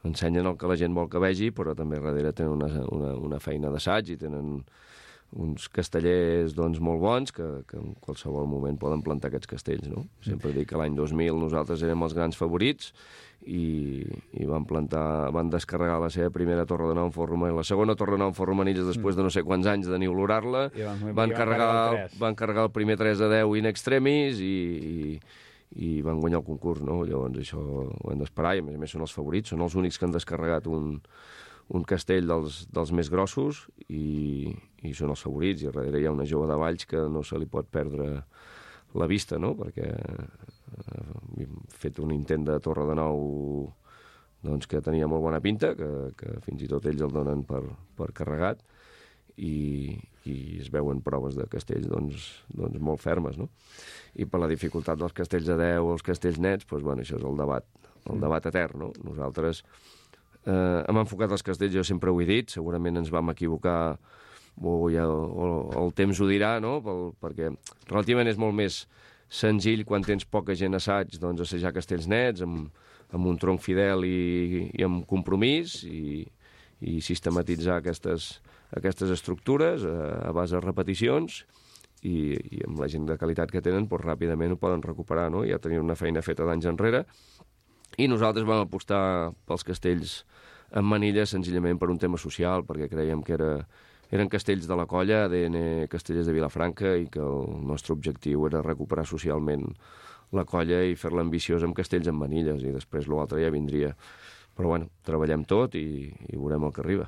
ensenyen el que la gent vol que vegi, però també darrere tenen una feina d'assaig i tenen uns castellers molt bons que en qualsevol moment poden plantar aquests castells, no? Sempre dic que l'any 2000 nosaltres érem els grans favorits i van descarregar la seva primera torre de nou en forn romanilles, la segona torre de nou en forn romanilles després de no sé quants anys de niulorar-la, van carregar el primer 3-10 in extremis i van guanyar el concurs, no? Llavors això ho hem d'esperar, i a més són els favorits, són els únics que han descarregat un castell dels més grossos i són els favorits, i darrere hi ha una jove de Valls que no se li pot perdre la vista, no? Perquè hem fet un intent de torre de nou que tenia molt bona pinta, que fins i tot ells el donen per carregat, i es veuen proves de castells molt fermes, no? I per la dificultat dels castells a 10 o els castells nets, això és el debat etern, no? Nosaltres hem enfocat els castells, jo sempre ho he dit, segurament ens vam equivocar o el temps ho dirà, no? Perquè relativament és molt més senzill quan tens poca gent a assaig, assajar castells nets amb un tronc fidel i amb compromís i sistematitzar aquestes estructures a base de repeticions, i amb la gent de qualitat que tenen ràpidament ho poden recuperar, no? Ja tenien una feina feta d'anys enrere, i nosaltres vam apostar pels castells en manilles senzillament per un tema social, perquè creiem que eren castells de la colla, ADN Castellers de Vilafranca, i que el nostre objectiu era recuperar socialment la colla i fer-la ambiciosa amb castells en manilles, i després l'altre ja vindria. Però treballem tot i veurem el que arriba.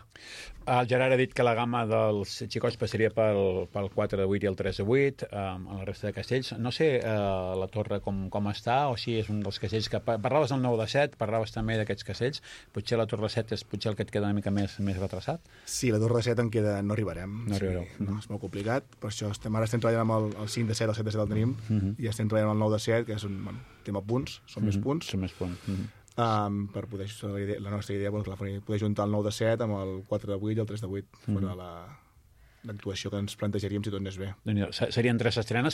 El Gerard ha dit que la gamma dels xicots passaria pel 4-8 i el 3-8, amb la resta de castells. No sé la torre com està, o si és un dels castells que... Parlaves del 9-7, parlaves també d'aquests castells. Potser la torre 7 és potser el que et queda una mica més retrasat? Sí, la torre 7 no arribarem. No arribareu. Sí, no, és molt complicat. Per això ara estem treballant amb el 5-7, el 7-7 el tenim, i estem treballant amb el 9-7, que és un tema punts, són més punts. Són més punts. Per poder, la nostra idea poder juntar el 9-7 amb el 4-8 i el 3-8 fora l'actuació que ens plantejaríem si tot anés bé. Serien 3 estrenes,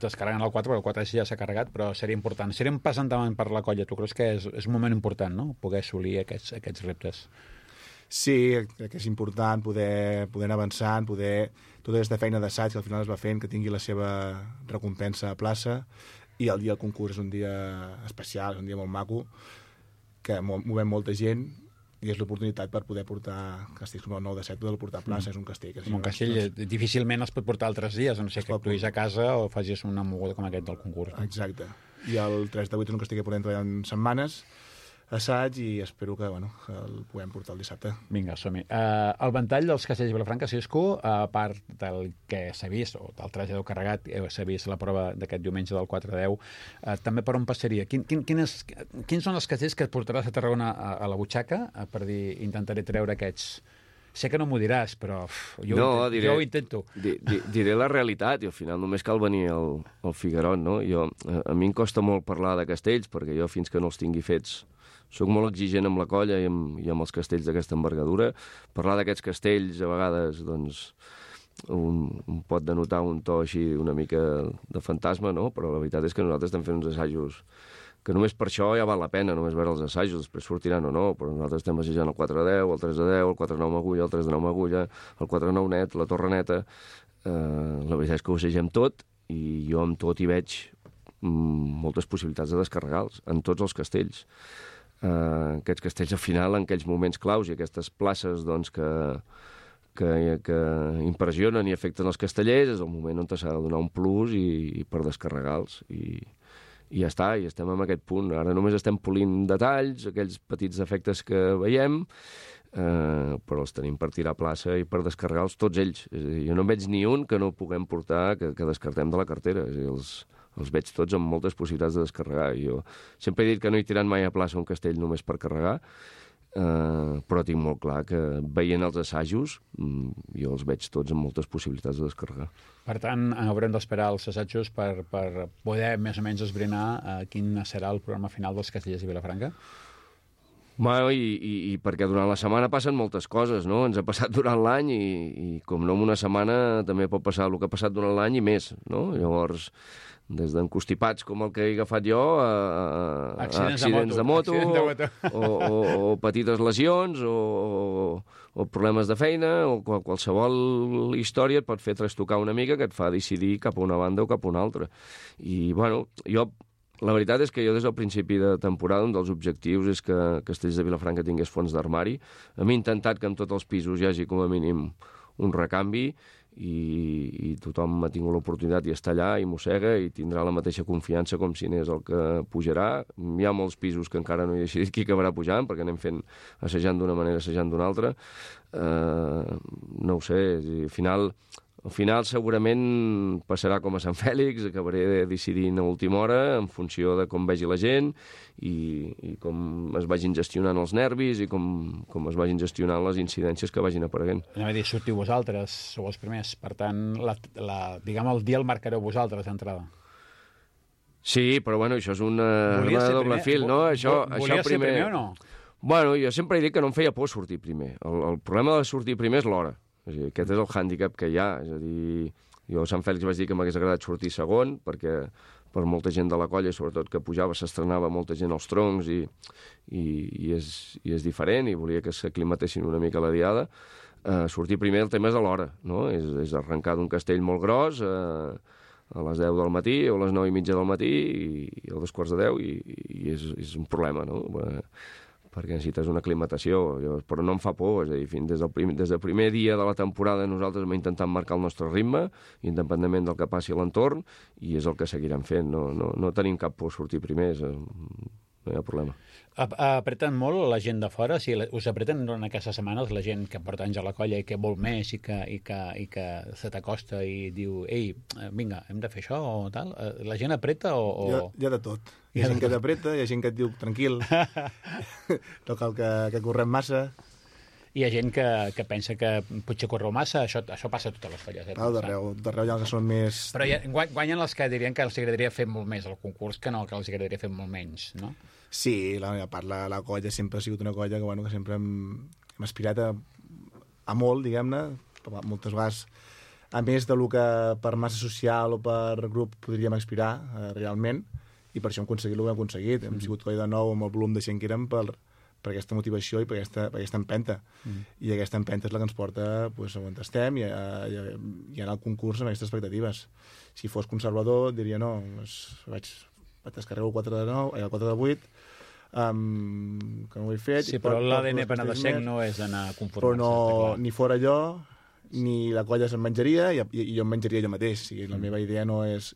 descarregant el 4, perquè el 4 ja s'ha carregat, però seria important. Seria un pas endavant per la colla. Tu creus que és un moment important, no?, poder assolir aquests reptes? Sí, crec que és important poder anar avançant, tota aquesta feina d'assaig que al final es va fent, que tingui la seva recompensa a plaça, i el dia del concurs és un dia especial, és un dia molt maco, que movem molta gent, i és l'oportunitat per poder portar castells com el 9-7, poder portar a plaça, és un castell. Un castell difícilment es pot portar altres dies, a no sé que actuïs a casa o facis una moguda com aquest del concurs. Exacte. i el 3 de 8 és un castell que podem treballar en setmanes, assaig, i espero que el puguem portar el dissabte. Vinga, som-hi. El ventall dels castells de Vilafranca, Cisco, a part del que s'ha vist, o del trasllador carregat, s'ha vist la prova d'aquest diumenge del 4-10, també per on passaria? Quins són els castells que et portaràs a Tarragona a la butxaca per dir, intentaré treure aquests... Sé que no m'ho diràs, però jo ho intento. Diré la realitat, i al final només cal venir al Figuerot, no? A mi em costa molt parlar de castells, perquè jo fins que no els tingui fets soc molt exigent amb la colla i amb els castells d'aquesta envergadura. Parlar d'aquests castells a vegades doncs, un pot denotar un to així una mica de fantasma, no? Però la veritat és que nosaltres estem fent uns assajos que només per això ja val la pena, només veure els assajos, després sortiran o no, però nosaltres estem assajant el 4-10, el 3-10, el 4-9 amb agulla, el 3-9 amb agulla, el 4-9 net, la torre neta. La veritat és que ho assagem tot, i jo amb tot hi veig moltes possibilitats de descarregar-los, en tots els castells. Aquests castells, al final, en aquells moments claus i aquestes places doncs, que impressionen i afecten els castellers, és el moment on s'ha de donar un plus i per descarregar-los. I ja està, i estem en aquest punt. Ara només estem polint detalls, aquells petits defectes que veiem, però els tenim per tirar a plaça i per descarregar-los tots ells. És a dir, jo no en veig ni un que no puguem portar, que descartem de la cartera. És a dir, els veig tots amb moltes possibilitats de descarregar. Jo sempre he dit que no he tirat mai a plaça un castell només per carregar, però tinc molt clar que veient els assajos jo els veig tots amb moltes possibilitats de descarregar. Per tant, haurem d'esperar els assajos per poder més o menys esbrinar quin serà el programa final dels castellers de Vilafranca? Bueno, i perquè durant la setmana passen moltes coses, no? Ens ha passat durant l'any i com no en una setmana també pot passar el que ha passat durant l'any i més, no? Llavors, des d'encostipats com el que he agafat jo a accidents de moto o petites lesions o problemes de feina o qualsevol història et pot fer trastocar una mica que et fa decidir cap a una banda o cap a una altra. I, bueno, la veritat és que jo des del principi de temporada un dels objectius és que Castells de Vilafranca tingués fons d'armari. Hem intentat que en tots els pisos hi hagi com a mínim un recanvi i tothom ha tingut l'oportunitat i està allà i mossega i tindrà la mateixa confiança com si n'és el que pujarà. Hi ha molts pisos que encara no he decidit qui acabarà pujant perquè anem fent assajant d'una manera, assajant d'una altra. No ho sé, al final segurament passarà com a Sant Fèlix, acabaré decidint a última hora en funció de com vegi la gent i com es vagin gestionant els nervis i com es vagin gestionant les incidències que vagin apareguent. Anem a dir, sortiu vosaltres, sou els primers, per tant, diguem, el dia el marcareu vosaltres d'entrada. Sí, però bueno, això és una doble fil, no? Volies ser primer o no? Bueno, jo sempre he dit que no em feia por sortir primer. El problema de sortir primer és l'hora. Aquest és el hàndicap que hi ha. És a dir, jo a Sant Fèlix vaig dir que m'hagués agradat sortir segon, perquè per molta gent de la colla, sobretot que pujava, s'estrenava molta gent als troncs i és diferent, i volia que s'aclimatessin una mica a la diada. Sortir primer, el tema és a l'hora, no? És arrencar d'un castell molt gros a les 10 del matí o a les 9:30 del matí i a 9:45 i és un problema, no? Perquè necessites una aclimatació, però no em fa por, és a dir, des del primer dia de la temporada nosaltres hem intentat marcar el nostre ritme, independentment del que passi a l'entorn, i és el que seguirem fent, no tenim cap por sortir primers, no hi ha problema. Apreten molt la gent de fora? Si us apreten durant aquestes setmanes la gent que porta anys a la colla i que vol més i que se t'acosta i diu, ei, vinga, hem de fer això o tal? La gent apreta o...? Hi ha de tot. Hi ha gent que t'apreta, hi ha gent que et diu, tranquil, no cal que correm massa. Hi ha gent que pensa que potser correu massa, això passa a totes les colles. D'arreu hi ha que són més... Però guanyen els que dirien que els agradaria fer molt més el concurs que no, que els agradaria fer molt menys, no? Sí, a part la colla sempre ha sigut una colla que sempre hem aspirat a molt, diguem-ne, moltes vegades, a més del que per massa social o per grup podríem aspirar realment, i per això hem aconseguit el que hem aconseguit. Hem sigut colla de nou amb el volum de gent que érem per aquesta motivació i per aquesta empenta. I aquesta empenta és la que ens porta on estem i anar al concurs amb aquestes expectatives. Si fos conservador, diria no, vaig descarregar el 4 de 8, que no ho he fet. Sí, però l'ADN penedesenc no és anar a conformar-se. Però ni fora allò, ni la colla se'n menjaria, i jo em menjaria jo mateix. La meva idea no és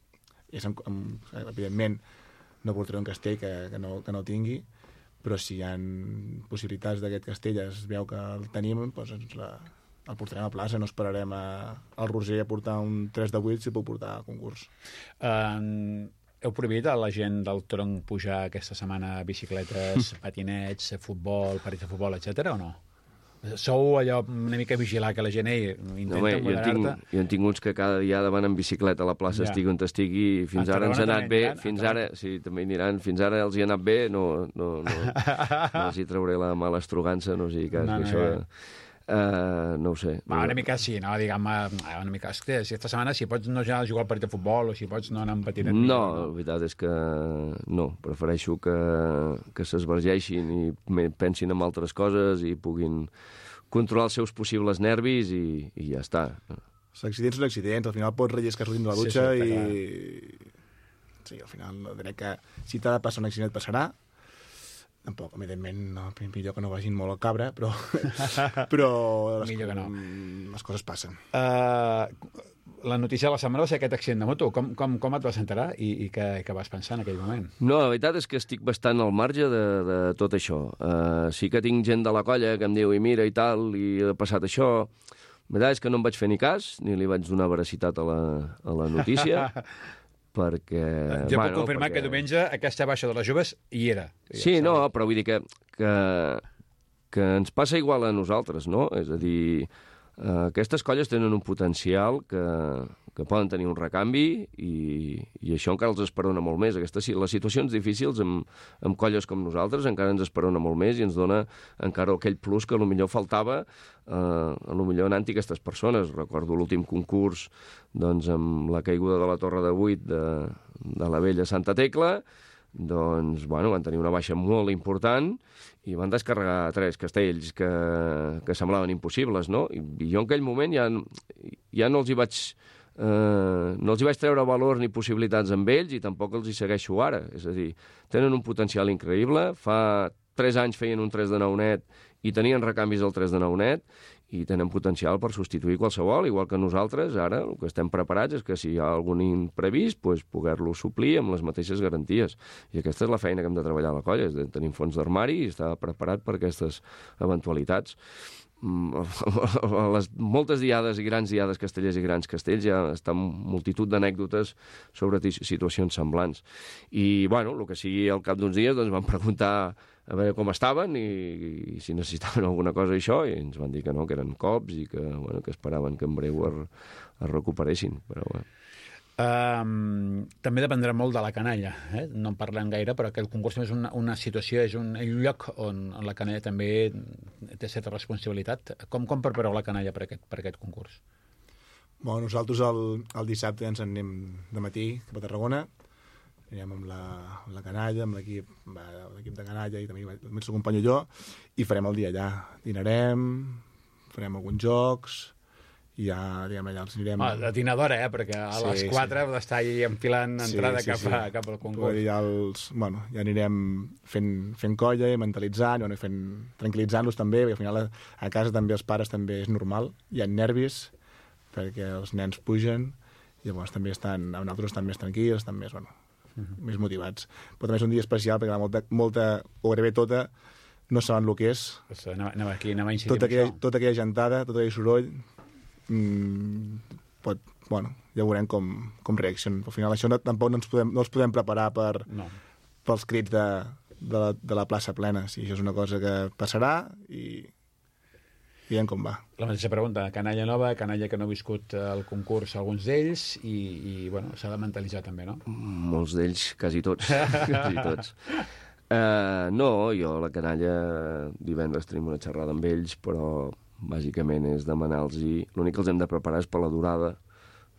evidentment, no portaré un castell que no tingui, però si hi ha possibilitats d'aquest castell, es veu que el tenim, doncs el portarem a plaça, no esperarem al Roser a portar un 3 de 8 si puc portar a concurs. Heu prohibit a la gent del tronc pujar aquesta setmana bicicletes, patinets, futbol, partits de futbol, etc o no? Sou allò una mica vigilar que la gent intenta moderar-te? Jo en tinc uns que cada dia van en bicicleta a la plaça, estigui on estigui, fins ara ens ha anat bé, sí, també aniran, fins ara els hi ha anat bé, no els hi trauré la mala estrogança, no sigui cas que això... no ho sé. Una mica sí, no? Diguem-me, una mica... Si aquesta setmana, si pots no ja jugar al partit de futbol o si pots no anar amb patinet... No, la veritat és que no. Prefereixo que s'esvergeixin i pensin en altres coses i puguin controlar els seus possibles nervis i ja està. Els accidents són accidents. Al final pots relliscar sortint de la dutxa Sí, al final crec que si t'ha de passar un accident et passarà. Tampoc, evidentment, no, millor que no vagin molt al cabra, però les coses passen. La notícia de la setmana va ser aquest accident de moto. Com et vas enterar i què vas pensar en aquell moment? No, la veritat és que estic bastant al marge de tot això. Sí que tinc gent de la colla que em diu i mira i tal, i ha passat això. La veritat és que no em vaig fer ni cas, ni li vaig donar veracitat a la notícia, perquè... Jo puc confirmar que diumenge aquesta baixa de les joves hi era. Sí, no, però vull dir que ens passa igual a nosaltres, no? És a dir, aquestes colles tenen un potencial que poden tenir un recanvi i això encara els esperona molt més. Les situacions difícils amb colles com nosaltres encara ens esperona molt més i ens dona encara aquell plus que potser faltava potser anant-hi aquestes persones. Recordo l'últim concurs doncs, amb la caiguda de la Torre de 8 de la vella Santa Tecla, doncs, bueno, van tenir una baixa molt important i van descarregar 3 castells que semblaven impossibles, no? I jo en aquell moment ja no els hi vaig treure valor ni possibilitats amb ells i tampoc els hi segueixo ara. És a dir, tenen un potencial increïble. Fa 3 anys feien un 3 de 9 net i tenien recanvis del 3 de 9 net i tenen potencial per substituir qualsevol, igual que nosaltres. Ara el que estem preparats és que si hi ha algun imprevist, doncs, poder-lo suplir amb les mateixes garanties. I aquesta és la feina que hem de treballar a la colla, és de tenir fons d'armari i estar preparat per aquestes eventualitats. Les moltes diades i grans diades castellers i grans castells ja estan multitud d'anècdotes sobre situacions semblants. I, bueno, el que sigui al cap d'uns dies, doncs van preguntar a veure com estaven i si necessitaven alguna cosa això, i ens van dir que no, que eren cops i que esperaven que en breu es recuperessin, però bé. També dependrà molt de la canalla, no en parlem gaire, però aquest concurs és una situació, és un lloc on la canalla també té certa responsabilitat. Com prepareu la canalla per aquest concurs? Bueno, nosaltres el dissabte ja ens en anem de matí cap a Tarragona, anirem amb la canalla, amb l'equip de canalla i també el seu company i jo, i farem el dia allà. Dinarem, farem alguns jocs, i ja, diguem, allà els anirem... La dinadora, perquè a les 4 d'estar allà enfilant entrada cap al concurs. Ja anirem fent colla i mentalitzant, tranquil·litzant-los també, perquè al final a casa també els pares també és normal, hi ha nervis, perquè els nens pugen, i llavors també nosaltres estan més tranquils, estan més, més motivats. Però també és un dia especial, perquè molta, o gairebé tota, no saben el que és. Anava a incidir tota aquella gentada, tot aquell soroll, ja veurem com reaccionen. Al final això tampoc no els podem preparar pels crits de la plaça plena. Sí, això és una cosa que passarà i veiem com va. La mateixa pregunta, canalla nova, canalla que no ha viscut el concurs, alguns d'ells, i s'ha de mentalitzar també, no? Molts d'ells, quasi tots. Quasi tots. No, jo la canalla divendres tenim una xerrada amb ells, però bàsicament és demanar-los... L'únic que els hem de preparar és per la durada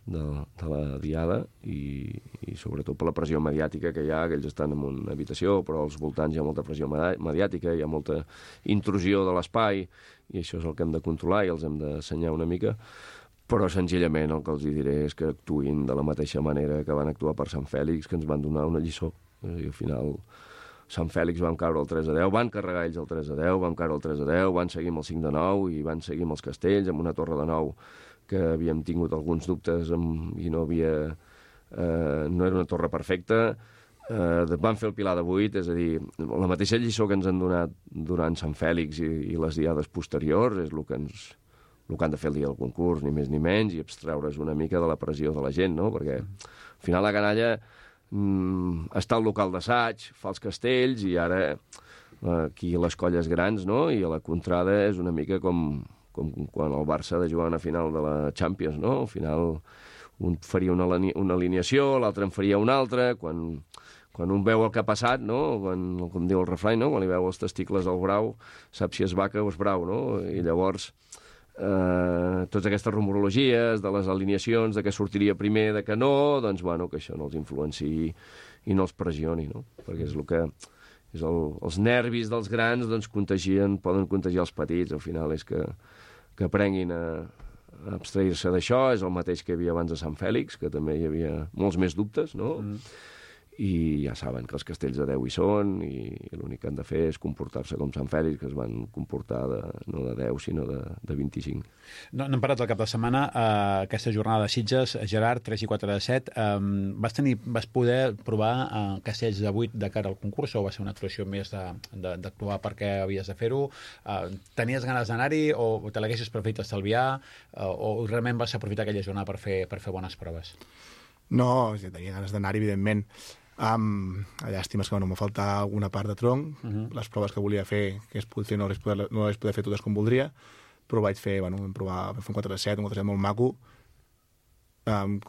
de la diada i sobretot per la pressió mediàtica que hi ha, que ells estan en una habitació, però als voltants hi ha molta pressió mediàtica, hi ha molta intrusió de l'espai, i això és el que hem de controlar i els hem d'assenyar una mica, però senzillament el que els diré és que actuïn de la mateixa manera que van actuar per Sant Fèlix, que ens van donar una lliçó. I al final... Sant Fèlix vam caure el 3-10, van carregar ells el 3-10, vam caure el 3-10, van seguir amb el 5-9 i van seguir amb els castells, amb una torre de 9 que havíem tingut alguns dubtes i no era una torre perfecta, van fer el Pilar de 8, és a dir, la mateixa lliçó que ens han donat durant Sant Fèlix i les diades posteriors és el que han de fer el dia del concurs, ni més ni menys, i abstreure's una mica de la pressió de la gent, no? Perquè al final la canalla està al local d'assaig, fa els castells, i ara aquí les colles grans, no? I a la contrada és una mica com quan el Barça ha de jugar una final de la Champions, no? Al final un faria una alineació, l'altre en faria una altra, quan un veu el que ha passat, no? Com diu el refrany, no? Quan li veu els testicles al brau, sap si és vaca o és brau, no? I llavors, totes aquestes rumorologies de les alineacions, de què sortiria primer, de què no, doncs, bueno, que això no els influenciï i no els pressioni, no? Perquè és el que... els nervis dels grans, doncs, poden contagiar els petits. Al final és que aprenguin a abstrair-se d'això. És el mateix que hi havia abans de Sant Fèlix, que també hi havia molts més dubtes, no? I ja saben que els castells de 10 hi són, i l'únic que han de fer és comportar-se com Sant Fèlix, que es van comportar no de 10, sinó de 25. No hem parat el cap de setmana, aquesta jornada de Sitges, Gerard, 3 i 4 de 7. Vas poder provar castells de 8 de cara al concurs, o va ser una actuació més d'actuar perquè havies de fer-ho? Tenies ganes d'anar-hi, o te l'haguessis preferit estalviar, o realment vas aprofitar aquella jornada per fer bones proves? No, tenia ganes d'anar-hi, evidentment. Llàstima és que m'ha faltat alguna part de tronc. Les proves que volia fer, que es pogut fer, no les poder fer totes com voldria, però vaig fer, vam fer un 4 de 7, un 4 de 7 molt maco, amb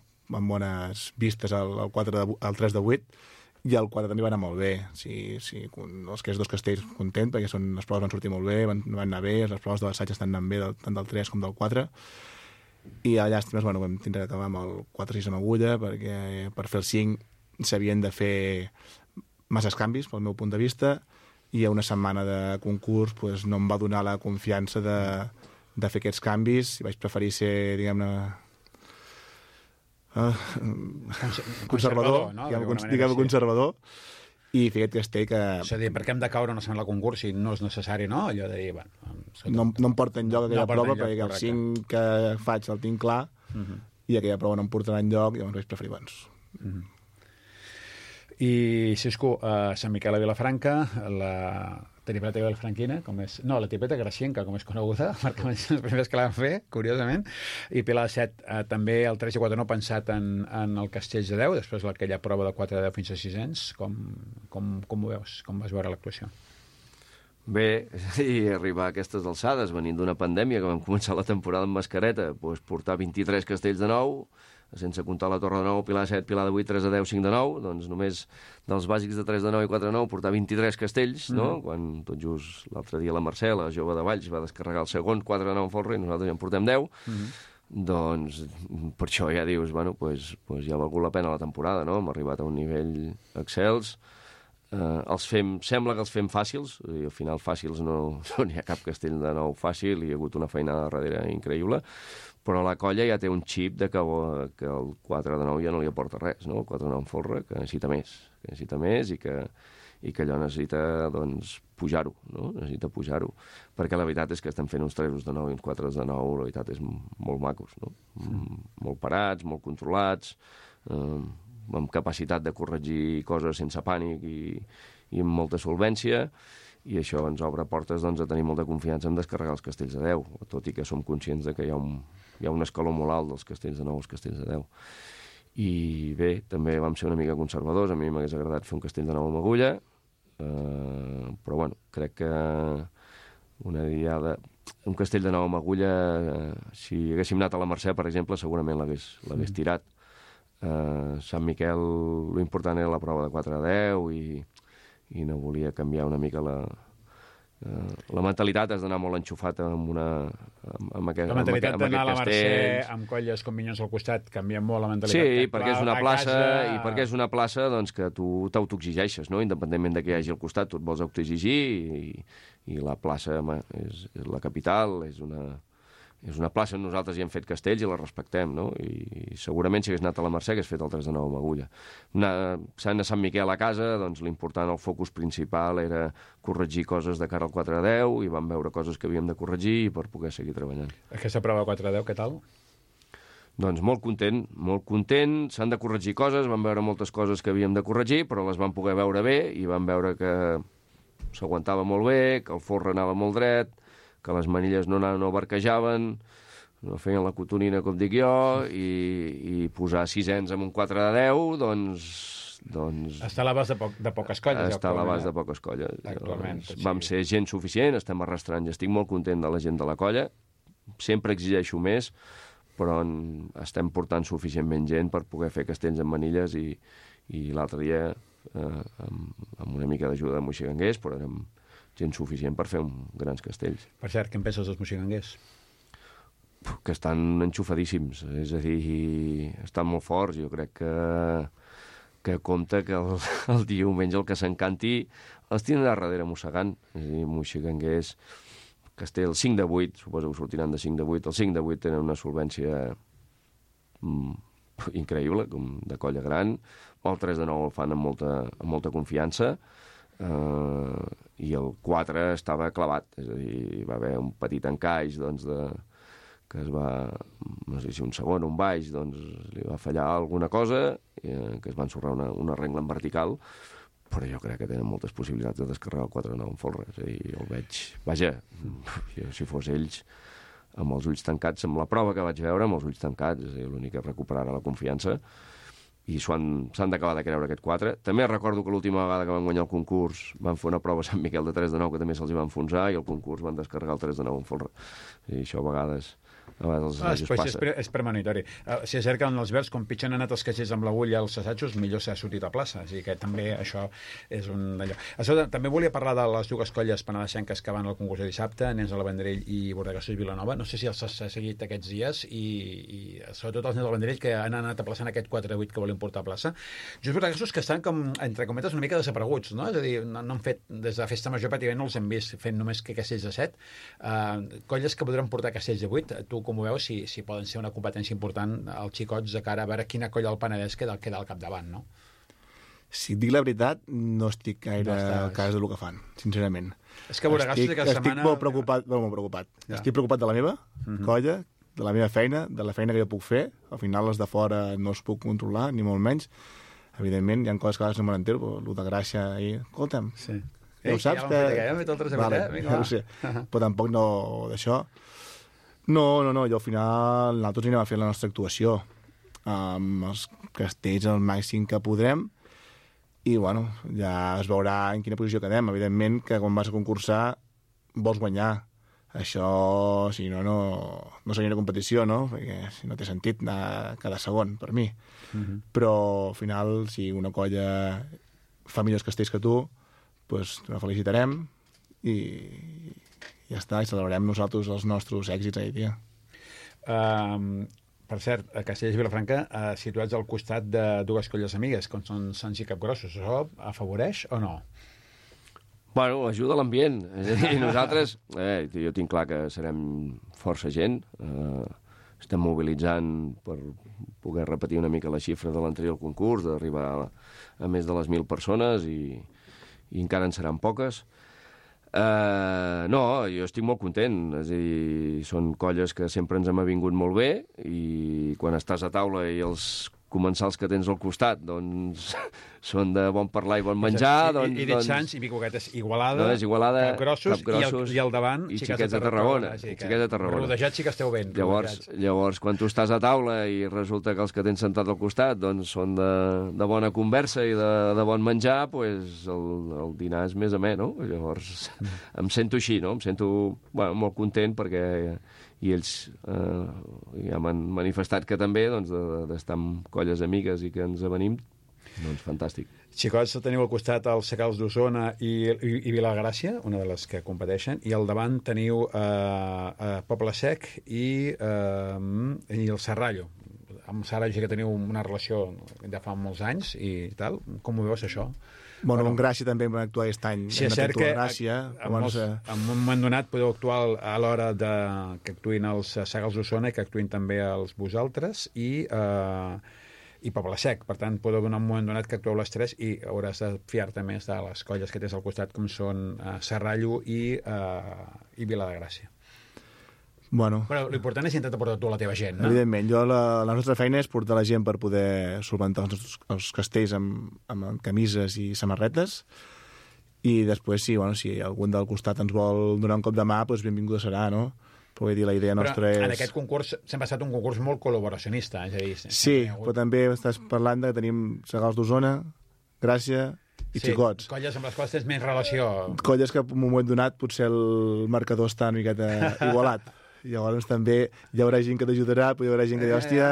bones vistes al 3 de 8, i el 4 també va anar molt bé. Els dos castells content, perquè les proves van sortir molt bé, van anar bé, les proves de l'assaig estan anant bé, tant del 3 com del 4, i a llàstimes vam tindre d'acabar amb el 4-6 amb agulla, perquè per fer el 5 s'havien de fer masses canvis, pel meu punt de vista, i a una setmana de concurs no em va donar la confiança de fer aquests canvis, i vaig preferir ser, diguem-ne, conservador, no? diguem-ne conservador, i fer aquest castell que... És a dir, per què hem de caure una setmana al concurs si no és necessari, no? Allò de dir, no em porta enlloc aquella prova, perquè el 5 que faig el tinc clar, i aquella prova no em portarà enlloc, i llavors vaig preferir abans. I, Xisco, Sant Miquel a Vilafranca, la tripeta vilafranquina, la tripeta gracienca, com és coneguda, perquè van ser els primers que la van fer, curiosament, i Pilar de 7, també el 3 i 4 no pensat en el castell de 10, després aquella prova de 4 de 10 fins a 600, com ho veus? Com vas veure l'actuació? Bé, i arribar a aquestes alçades, venint d'una pandèmia, que vam començar la temporada amb mascareta, portar 23 castells de 9, sense comptar la Torre de 9, Pilar de 7, Pilar de 8, 3 de 10, 5 de 9, doncs només dels bàsics de 3 de 9 i 4 de 9 portar 23 castells, no? Quan tot just l'altre dia la Mercè, la jove de Valls, va descarregar el segon, 4 de 9 en folre, i nosaltres ja en portem 10, doncs per això ja dius, bueno, ja ha valgut la pena la temporada, no? Hem arribat a un nivell excels, sembla que els fem fàcils, i al final fàcils no hi ha cap castell de 9 fàcil, hi ha hagut una feinada darrere increïble, però la colla ja té un xip de que el 4 de 9 ja no li aporta res, no? El 4 de 9 en folre, que necessita més i que allò necessita, doncs, pujar-ho, no? Necessita pujar-ho, perquè la veritat és que estem fent uns 3 de 9 i uns 4 de 9, la veritat és molt macos, no? Molt parats, molt controlats, amb capacitat de corregir coses sense pànic i amb molta solvència, i això ens obre portes, doncs, a tenir molta confiança en descarregar els castells de 10, tot i que som conscients de que hi ha un escaló molt alt dels castells de 9 als castells de 10. I bé, també vam ser una mica conservadors, a mi m'hagués agradat fer un castell de 9 amb agulla, però bueno, crec que un castell de 9 amb agulla, si haguéssim anat a la Mercè, per exemple, segurament l'hagués tirat. Sant Miquel, l'important era la prova de 4 a 10 i no volia canviar una mica la mentalitat. Has d'anar molt enxufat amb aquest La mentalitat d'anar a la Mercè castells. amb colles com Minyons al costat canvia molt la mentalitat. Sí, perquè és una plaça, i perquè és una plaça, doncs, que tu t'autoexigeixes, no? Independentment de què hi hagi al costat, tu et vols autoexigir, i la plaça és la capital, és una plaça on nosaltres hi hem fet castells i la respectem, no? I segurament si hagués anat a la Mercè hagués fet el 3 de 9 amb agulla. Sent a Sant Miquel a casa, doncs l'important, el focus principal era corregir coses de cara al 4 de 10, i vam veure coses que havíem de corregir per poder seguir treballant. Aquesta prova 4 de 10, què tal? Doncs molt content, s'han de corregir coses, vam veure moltes coses que havíem de corregir, però les vam poder veure bé i vam veure que s'aguantava molt bé, que el folre anava molt dret, que les manilles no barquejaven, no feien la cotonina, com dic jo, i posar 6ens amb un 4 de 10, doncs... Està a l'abast de poques colles. Està a l'abast de poques colles. Actualment. Vam ser gent suficient, estem arrastrant, i estic molt content de la gent de la colla. Sempre exigeixo més, però estem portant suficientment gent per poder fer castells amb manilles i l'altre dia, amb una mica d'ajuda de moixiganguers, però érem gent suficient per fer grans castells. Per cert, què en penses dels moixiganguers? Que estan enxufadíssims, és a dir, estan molt forts. Jo crec que compta que el diumenge el que s'encanti els tindrà darrere mossegant. És a dir, moixiganguers, castell 5 de 8, suposo que sortiran de 5 de 8. Els 5 de 8 tenen una solvència increïble, com de colla gran. El 3 de 9 el fan amb molta confiança. I el 4 estava clavat, és a dir, hi va haver un petit encaix, doncs, que es va, no sé si un segon o un baix, doncs li va fallar alguna cosa, que es va ensorrar una regla en vertical, però jo crec que tenen moltes possibilitats de descarregar el 4-9 en folre. És a dir, el veig... Vaja, jo, si fos ells, amb els ulls tancats, amb la prova que vaig veure, amb els ulls tancats, és a dir, l'únic que recuperarà la confiança, i s'han d'acabar de creure aquest 4. També recordo que l'última vegada que van guanyar el concurs van fer una prova a Sant Miquel de 3 de 9, que també se'ls hi va enfonsar, i el concurs van descarregar el 3 de 9 en folre. I això a vegades els assajos passa. És premonitori. Si és cert que en els verds, com pitgen anat els caixers amb l'agulla als assajos, millor s'ha sortit a plaça. O sigui que també això és un d'allò. També volia parlar de les dues colles penedesenques que van al concurs de dissabte, Nens del Vendrell i Bordegassos Vilanova. No sé si els has seguit aquests dies i sobretot els Nens del Vendrell, que han anat aplaçant aquest 4-8 que volen portar a plaça. Just Bordegassos que estan, com, entre cometes, una mica desapareguts, no? És a dir, no han fet, des de Festa Major pràcticament no els hem vist fent només que castells de 7. Colles que podran portar castells de 8. Tu com ho veus, si poden ser una competència important als xicots de cara a veure quina colla al Penedès queda al capdavant, no? Si et dic la veritat, no estic gaire al cas del que fan, sincerament. És que Bordegassos aquesta setmana... Estic molt preocupat. Ja. Estic preocupat de la meva colla, de la meva feina, de la feina que jo puc fer. Al final, les de fora no els puc controlar, ni molt menys. Evidentment, hi ha coses que a vegades no me n'entero, però el de Gràcia ahir... Escolta'm, ja ho saps que... Ja hem fet el trasset, vale, ja ho sé. Però tampoc no d'això. No, jo al final nosaltres anem a fer la nostra actuació amb els castells al màxim que podrem i, bueno, ja es veurà en quina posició quedem. Evidentment que quan vas a concursar vols guanyar. Això, si no seria una competició, no? Perquè si no té sentit anar cada segon, per mi. Però, al final, si una colla fa millors castells que tu, doncs la felicitarem i ja està, i celebrarem nosaltres els nostres èxits ahir dia. Per cert, a Castellers i Vilafranca, situats al costat de dues colles amigues, com són Sants i Capgrossos, això afavoreix o no? Bueno, ajuda l'ambient. És a dir, nosaltres, jo tinc clar que serem força gent, estem mobilitzant per poder repetir una mica la xifra de l'anterior concurs, d'arribar a més de les 1.000 persones i encara en seran poques. No, jo estic molt content, és a dir, són colles que sempre ens hem avingut molt bé i quan estàs a taula i els comensals que tens al costat, doncs, són de bon parlar i bon menjar, doncs... I dit Sants, i Bicoquetes, Igualada, Capgrossos i al davant, i Xiquets de Tarragona. Rodejats sí que esteu ben. Llavors, quan tu estàs a taula i resulta que els que tens sentat al costat doncs, són de bona conversa i de bon menjar, doncs el dinar és més amè, no? Llavors, em sento així, no? Em sento molt content perquè... i ells ja m'han manifestat que també, doncs, d'estar amb colles amigues i que ens avenim, doncs fantàstic. Xicots, teniu al costat els Secals d'Osona i Vilagràcia, una de les que competeixen, i al davant teniu Poble Sec i el Serrallo. Amb Serrallo sí que teniu una relació de fa molts anys i tal. Com ho veus, això? Bueno, amb Gràcia també vam actuar aquest any. Sí, és cert que en un moment donat podeu actuar a l'hora que actuïn els Segals d'Osona i que actuïn també els vosaltres i Poble Sec. Per tant, podeu donar un moment donat que actueu les tres i hauràs de fiar-te més de les colles que tens al costat, com són Serrallo i Vila de Gràcia. Bueno, Però l'important és intentar portar tu la teva gent, no? evidentment, la nostra feina és portar la gent per poder solventar els castells amb camises i samarretes, i després, si algun del costat ens vol donar un cop de mà, doncs benvinguda serà, no? Però vull dir, la idea nostra és... Però en aquest concurs sempre ha estat un concurs molt col·laboracionista, és a dir... Sí, però també estàs parlant que tenim Segals d'Osona, Gràcia i Xicots. Colles amb les quals tens més relació. Colles que en un moment donat potser el marcador està una miqueta igualat. Llavors també hi haurà gent que t'ajudarà, però hi haurà gent que dirà, hòstia,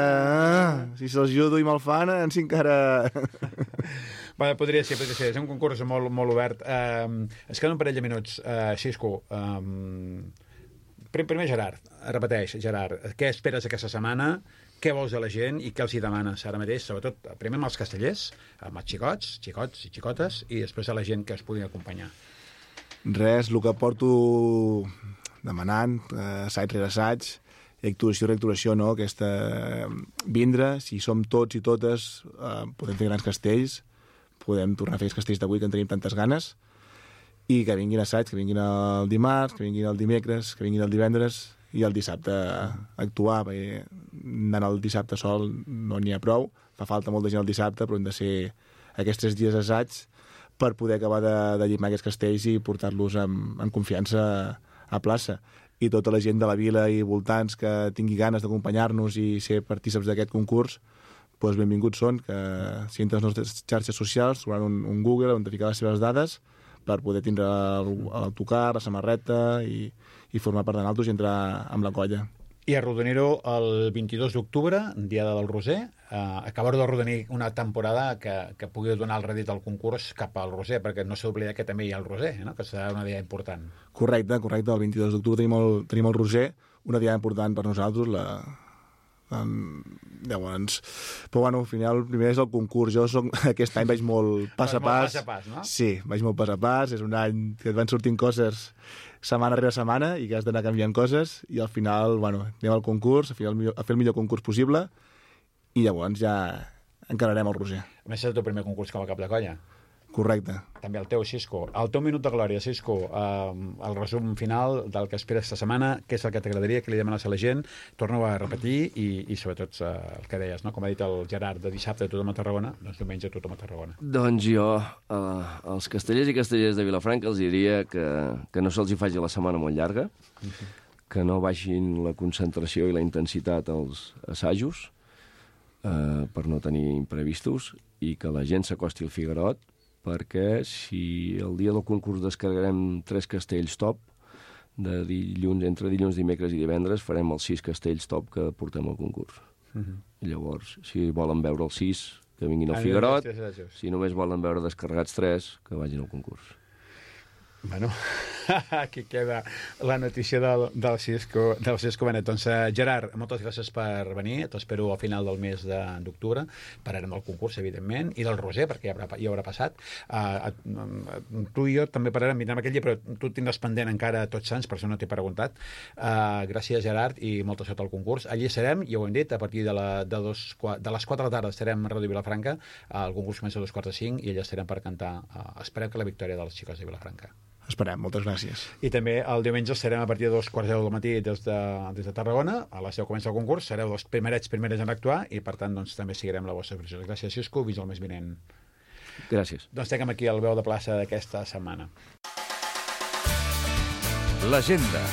si se'ls ajudo i me'l fan, si encara... Bueno, podria ser. És un concurs molt, molt obert. Es queden un parell de minuts. Xisco, primer Gerard, repeteix, Gerard, què esperes aquesta setmana? Què vols de la gent i què els hi demanes ara mateix? Sobretot, primer amb els castellers, amb els xicots i xicotes, i després a la gent que es pugui acompanyar. Res, el que porto demanant, assaig rere assaig, i actuació rere actuació, no? Vindre, si som tots i totes, podem fer grans castells, podem tornar a fer els castells d'avui, que en tenim tantes ganes, i que vinguin assaig, que vinguin el dimarts, que vinguin el dimecres, que vinguin el divendres, i el dissabte actuar, perquè anant el dissabte sol no n'hi ha prou, fa falta molta gent el dissabte, però hem de ser aquests 3 dies assaig per poder acabar de llimar aquests castells i portar-los amb confiança a plaça. I tota la gent de la vila i voltants que tingui ganes d'acompanyar-nos i ser partícips d'aquest concurs, doncs benvinguts són, que si entren les nostres xarxes socials, trobaran un Google on ficar les seves dades per poder tindre l'autocar, la samarreta i formar part de nosaltres i entrar amb la colla. I arrodonir-ho el 22 d'octubre, Diada del Roser, acabar de arrodonir una temporada que pugui donar el rèdit al concurs cap al Roser, perquè no s'ha d'oblidar que també hi ha el Roser, no? Que serà una dia important. Correcte, el 22 d'octubre tenim el Roser, una dia important per nosaltres, llavors, però bueno, al final el primer és el concurs. Jo aquest any vaig molt pas a pas. Pas a pas, no? Sí, vaig molt pas a pas, és un any que et van sortint coses setmana rere setmana i que has d'anar canviant coses, i al final, bueno, anem al concurs, a fer el millor concurs possible, i llavors ja encararem el Roser. A més, és el teu primer concurs com a cap de colla. Correcte. També el teu, Xisco. El teu minut de glòria, Xisco, el resum final del que esperes aquesta setmana, què és el que t'agradaria, què li demanes a la gent, torna-ho a repetir i sobretot el que deies, no? Com ha dit el Gerard, de dissabte tothom a Tarragona, doncs diumenge tothom a Tarragona. Doncs jo, als castellers i castellers de Vilafranca els diria que no se'ls hi faci la setmana molt llarga, que no baixin la concentració i la intensitat als assajos per no tenir imprevistos, i que la gent s'acosti al Figuerot, perquè si el dia del concurs descarregarem 3 castells top, entre dilluns, dimecres i divendres farem els 6 castells top que portem al concurs. I llavors, si volen veure els 6, que vinguin al Figuerot, si només volen veure descarregats 3, que vagin al concurs. Bueno, aquí queda la notícia del Xisco Benet. Doncs, Gerard, moltes gràcies per venir. T'espero al final del mes d'octubre. Parlarem del concurs, evidentment, i del Roser, perquè ja haurà passat. Tu i jo també parlarem, vindrem aquell dia, però tu tindràs pendent encara Tots Sants, per això no t'he preguntat. Gràcies, Gerard, i molta sort al concurs. Allí serem, ja ho hem dit, a partir de les 4 de la tarda estarem a Ràdio Vilafranca. El concurs comença a 2:45 i allà estarem per cantar. Esperem que la victòria dels xicots de Vilafranca. Esperem, moltes gràcies. I també el diumenge serem a partir de 2:15 del matí des de Tarragona. A les 10 comença el concurs, sereu els primerets en actuar i, per tant, doncs, també seguirem la vostra pressió. Gràcies, Xisco. Fins al mes vinent. Gràcies. Doncs tenim aquí el veu de plaça d'aquesta setmana. L'agenda.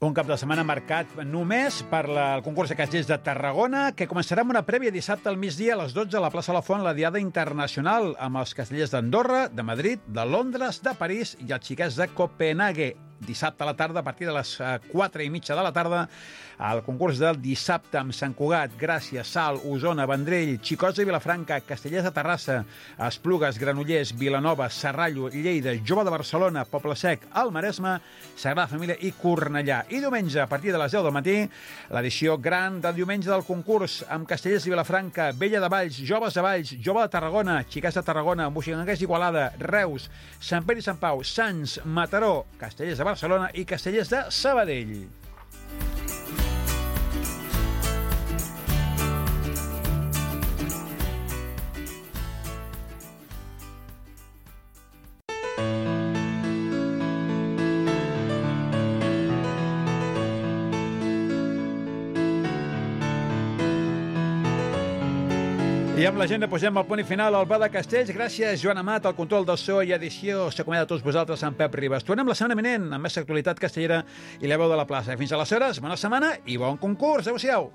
Un cap de setmana marcat només per el concurs de castellers de Tarragona, que començarà amb una prèvia dissabte al migdia a les 12 a la plaça La Font, la Diada Internacional, amb els castellers d'Andorra, de Madrid, de Londres, de París i els xiquets de Copenhague. Dissabte a la tarda, a partir de les 4:30 de la tarda, el concurs del dissabte amb Sant Cugat, Gràcia, Salt, Osona, Vendrell, Xicots de Vilafranca, Castellers de Terrassa, Esplugues, Granollers, Vilanova, Serrallo, Lleida, Jove de Barcelona, Poble Sec, el Maresme, Sagrada Família i Cornellà. I diumenge, a partir de les 10 del matí, l'edició gran del diumenge del concurs amb Castellers de Vilafranca, Vella de Valls, Joves de Valls, Jove de Tarragona, Xiquets de Tarragona, Moixigangers d'Igualada, Reus, Sant Pere i Sant Pau, Sants, Mataró, Castellers de Barcelona i Castellers de Sabadell. I amb l'agenda posem el punt i final al Ba de Castells. Gràcies, Joan Amat, al control del so i edició. S'acomiada a tots vosaltres, en Pep Ribas. Tornem la setmana vinent amb més actualitat castellera i la veu de la plaça. Fins aleshores, bona setmana i bon concurs. Adéu-siau.